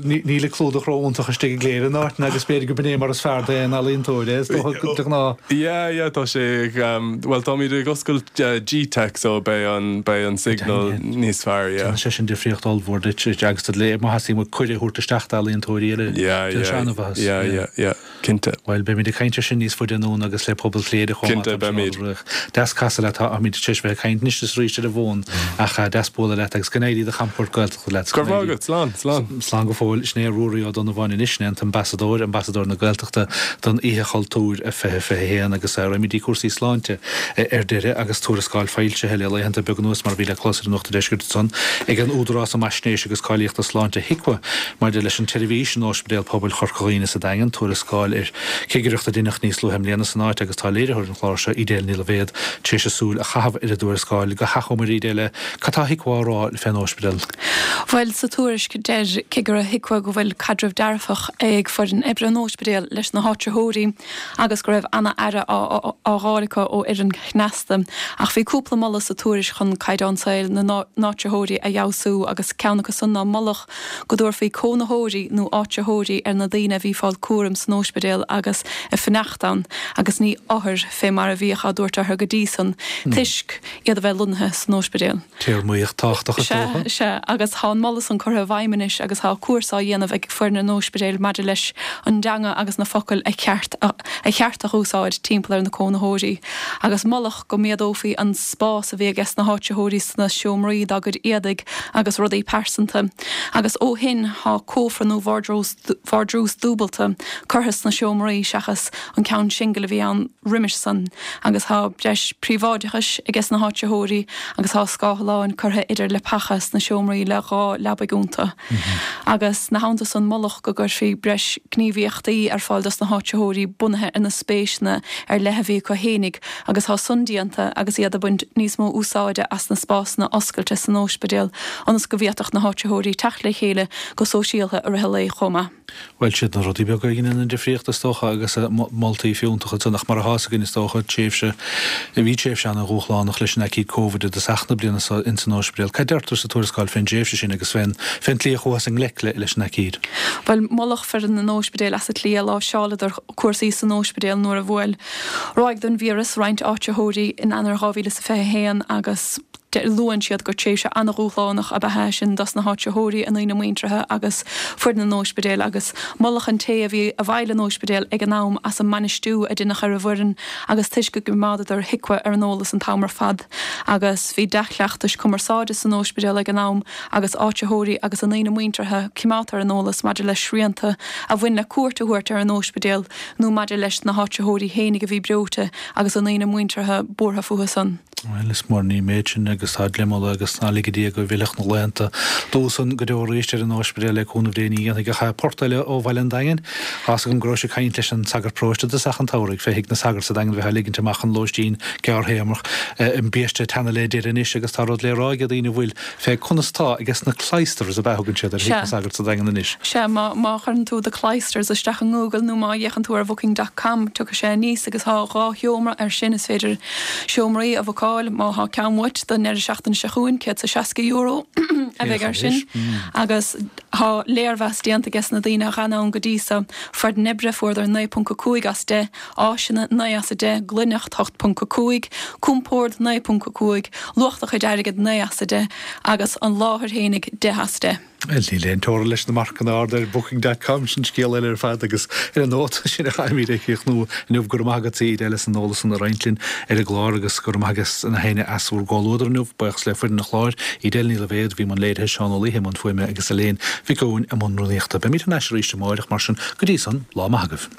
ní, níl an clúdach ró-iontach istigh i gCléire in áiteanna agus b'fhéidir go b'in é mar is fearr d'aon ealaíontóir é, is dócha, de ghnáth. Yeah, yeah, tá sé ag, bhuel táimid ag oscailt Gteic so beidh an, beidh an signal níos fearr, yeah. Déanann sé sin difríocht ollmhór duit agus do le, má theastaíonn uait cuireadh a thabhairt isteach d'ealaíontóirí eile, Yeah, déanann sé yeah, an-mhaitheas. yeah, yeah, yeah, cinnte. Bhuel, beimid ag caint ar sin níos faide anonn agus le pobal Chléire chomh maith, Cinnte, beimid. Deas casadh leat, táimid tar éis bheith ag caint anois is arís ar an bhfón ach deas bualadh leat agus go n-éirí do chamchuairt Gaeltachta leat. Go raibh maith agat, slán, slán. Slán go fóill. Sin é Ruairí Ó Donnabháin anois, sin é an t-ambasadóir, ambasadóir na Gaeltachta don Oíche Chultúir 2021 agus raghaimid dtí cúrsaí sláinte ar deireadh agus tuarascáil foilsithe le laethanta beaga anuas mar a bhí le clos ar an Nuacht an Deiscirt ansan ag an Údarás um Fhaisnéis agus Cáilíochta Sláinte, HIQA, maidir leis an tseirbhís in Ospidéal Pobail Chorca Dhuibhne sa Daingean, tuarascáil ar chigireacht a deineadh níos luaithe i mbliana san áit agus tá léiritheoir an chláir seo, Edel Ní Loibhéad, tar éis súil a chaitheamh ar an dtuarascáil. Go hachomair, Edel, cad tá HIQA á rá fén óispidéal? Bhuel, sa tuairisc, deir cigire HIQA go bhfuil caidreamh dearfach ag foireann oibre an óispidéil leis na háitritheoirí agus go raibh ana-aire á fháil acu ó fhoireann chneasta. Ach bhí cúpla moladh sa tuairisc chun caighdeán saoil na n-áitritheoirí a fheabhsú agus ceann acu san ná moladh go dtabharfaí cónaitheoirí nó áitritheoirí ar na daoine a bhí ag fáil cúraim san óispidéal agus ag fanacht ann agus ní othair fé mar a bhíodh á dtabhairt orthu go dtí san toisc iad a bheith lonnaithe san óispidéal. Téarmaíocht tábhachtach is dócha. Sea, sea, agus tá an moladh san curtha i bhfeidhm anois agus tá cúrsa á dhéanamh ag foireann an óispidéil maidir leis an dteanga agus na focail a cheart a cheart a dh'úsáid timpeall ar na cónaitheoirí. Agus moladh go méadófaí an spás a bhí ages na háitritheoirí sna seomraí dá gcuid éadaigh agus rudaí pearsanta. Agus ó shin tá cófra nó vardrús dúbalta curtha sna seomraí seachas an ceann singil a bhí ann roimis san agus tá breis príobháideachais ages na háitritheoirí agus tá scáthláin curtha idir leapacha sna seomraí le 2 leabaidh iontu. Agus 'na theannta san moladh go gcuirfí breis gníomhaíochtaí ar fáil dos na háitritheoirí bunaithe ar na spéiseanna ar leith a bhí acu fhéinig agus tá san déanta agus iad ag baint níos mó úsáide as na spásanna oscailte san óispidéal ionas go bhféadfadh na háitritheoirí teacht le chéile go sóisialtha i rith an lae chomh maith. Bhuel, siad na rudaí beaga a dheineann an difríocht, is dócha, agus moltaí fiúntacha ansan, ach mar atá fhios againn, is dócha, tréimhse, bhí tréimhse ana-dhúshlánach leis an aicíd Covid i dtosach na bliana seo ins an óispidéal. Cad deirtear sa tuarascáil fén dtréimhse sin agus fén, fén tslí a chuathas i ngleic le, leis an aicíd? Bhuel, moladh foireann an óispidéil as an tslí a láimhseáladar cúrsaí san óispidéal nuair a bhuail ráig den víreas roinnt áitritheoirí in Eanáir 2021 agus, Luann siad gur tréimhse an-dhúshlánach ab ea é sin dos na háitritheoirí, a ndaoine muinteartha agus foireann an óispidéil agus moladh an té a bhí i bhfeighil an óispidéil ag an am as an mbainistiú a deineadh ar an bhfoireann agus toisc go gcoimeádadar HIQA ar an eolas an t-am ar fad agus bhí dea-chleachtais cumarsáide san óispidéal ag an am agus áitritheoirí agus a ndaoine muinteartha coimeádta ar an eolas maidir le srianta a bhain le cuairt a thabhairt ar an óispidéal nó maidir leis na háitritheoirí fhéinig a bhí breoite agus a ndaoine muinteartha buartha fúthu san. Bhuel, is mór an ríméad sin agus tá le moladh agus ná lige Dia go bhfillfeadh na laethanta dubha san go deo arís ar an óispidéal le cúnamh Dé ní dhéanfaidh ach port eile ó bhaile an Daingin. Tá's agam go raibh sibh ag caint leis an sagart paróiste i dtosach an tsamhraidh fé thigh na sagart sa Daingean bheith á ligint amach chun lóistín gearrthéarmach. An biaiste ag teannadh le deireadh anois agus tá rud le rá ag daoine a bhfuil fé conas tá ages na Cloisters ab ea a thugann siad ar thigh na sagart sa Daingean anois. Sea, má, má chuireann tú The Cloisters isteach i nGoogle nó má fhéachann tú ar Booking dot com tiocfaidh sé aníos agus tá 2 sheomra air sin, is féidir seomraí a bhookáil má thá ceann uait don ndeireadh seachtaine seo chugainn, €160 a bheidh air sin agus thá léirmheas déanta ages na daoine a dh'fhan ann go dtí so. Foireann oibre, fuaireadar 9.5 as 10, áiseanna, 9 as 10, glaineacht, 8.5, compord, 9.5, luach do chuid airgid, 9 as 10, agus an láthair fhéinig, 10 as 10. Bhuel, níl aon teora leis na marcanna arda ar Booking dot com, sin scéal eile ar fad agus ar an nóta sin a chaithfimid a chríochnú inniu. Go raibh maith agat, a Edel, as an eolas san a roinnt linn ar an gclár agus go raibh maith ages na héinne as bhur gcomhluadar inniu. Buíochas le foireann an chláir, Edel Ní Loibhéad, a bhí i mbun léirithe, Seán Ó Laoithe i mbun fuaime agus Elaine Mhic Eoin i mbun rúnaíochta. Beimid thar n-ais arís amáireach, mar sin, go dtí san, lá maith agaibh.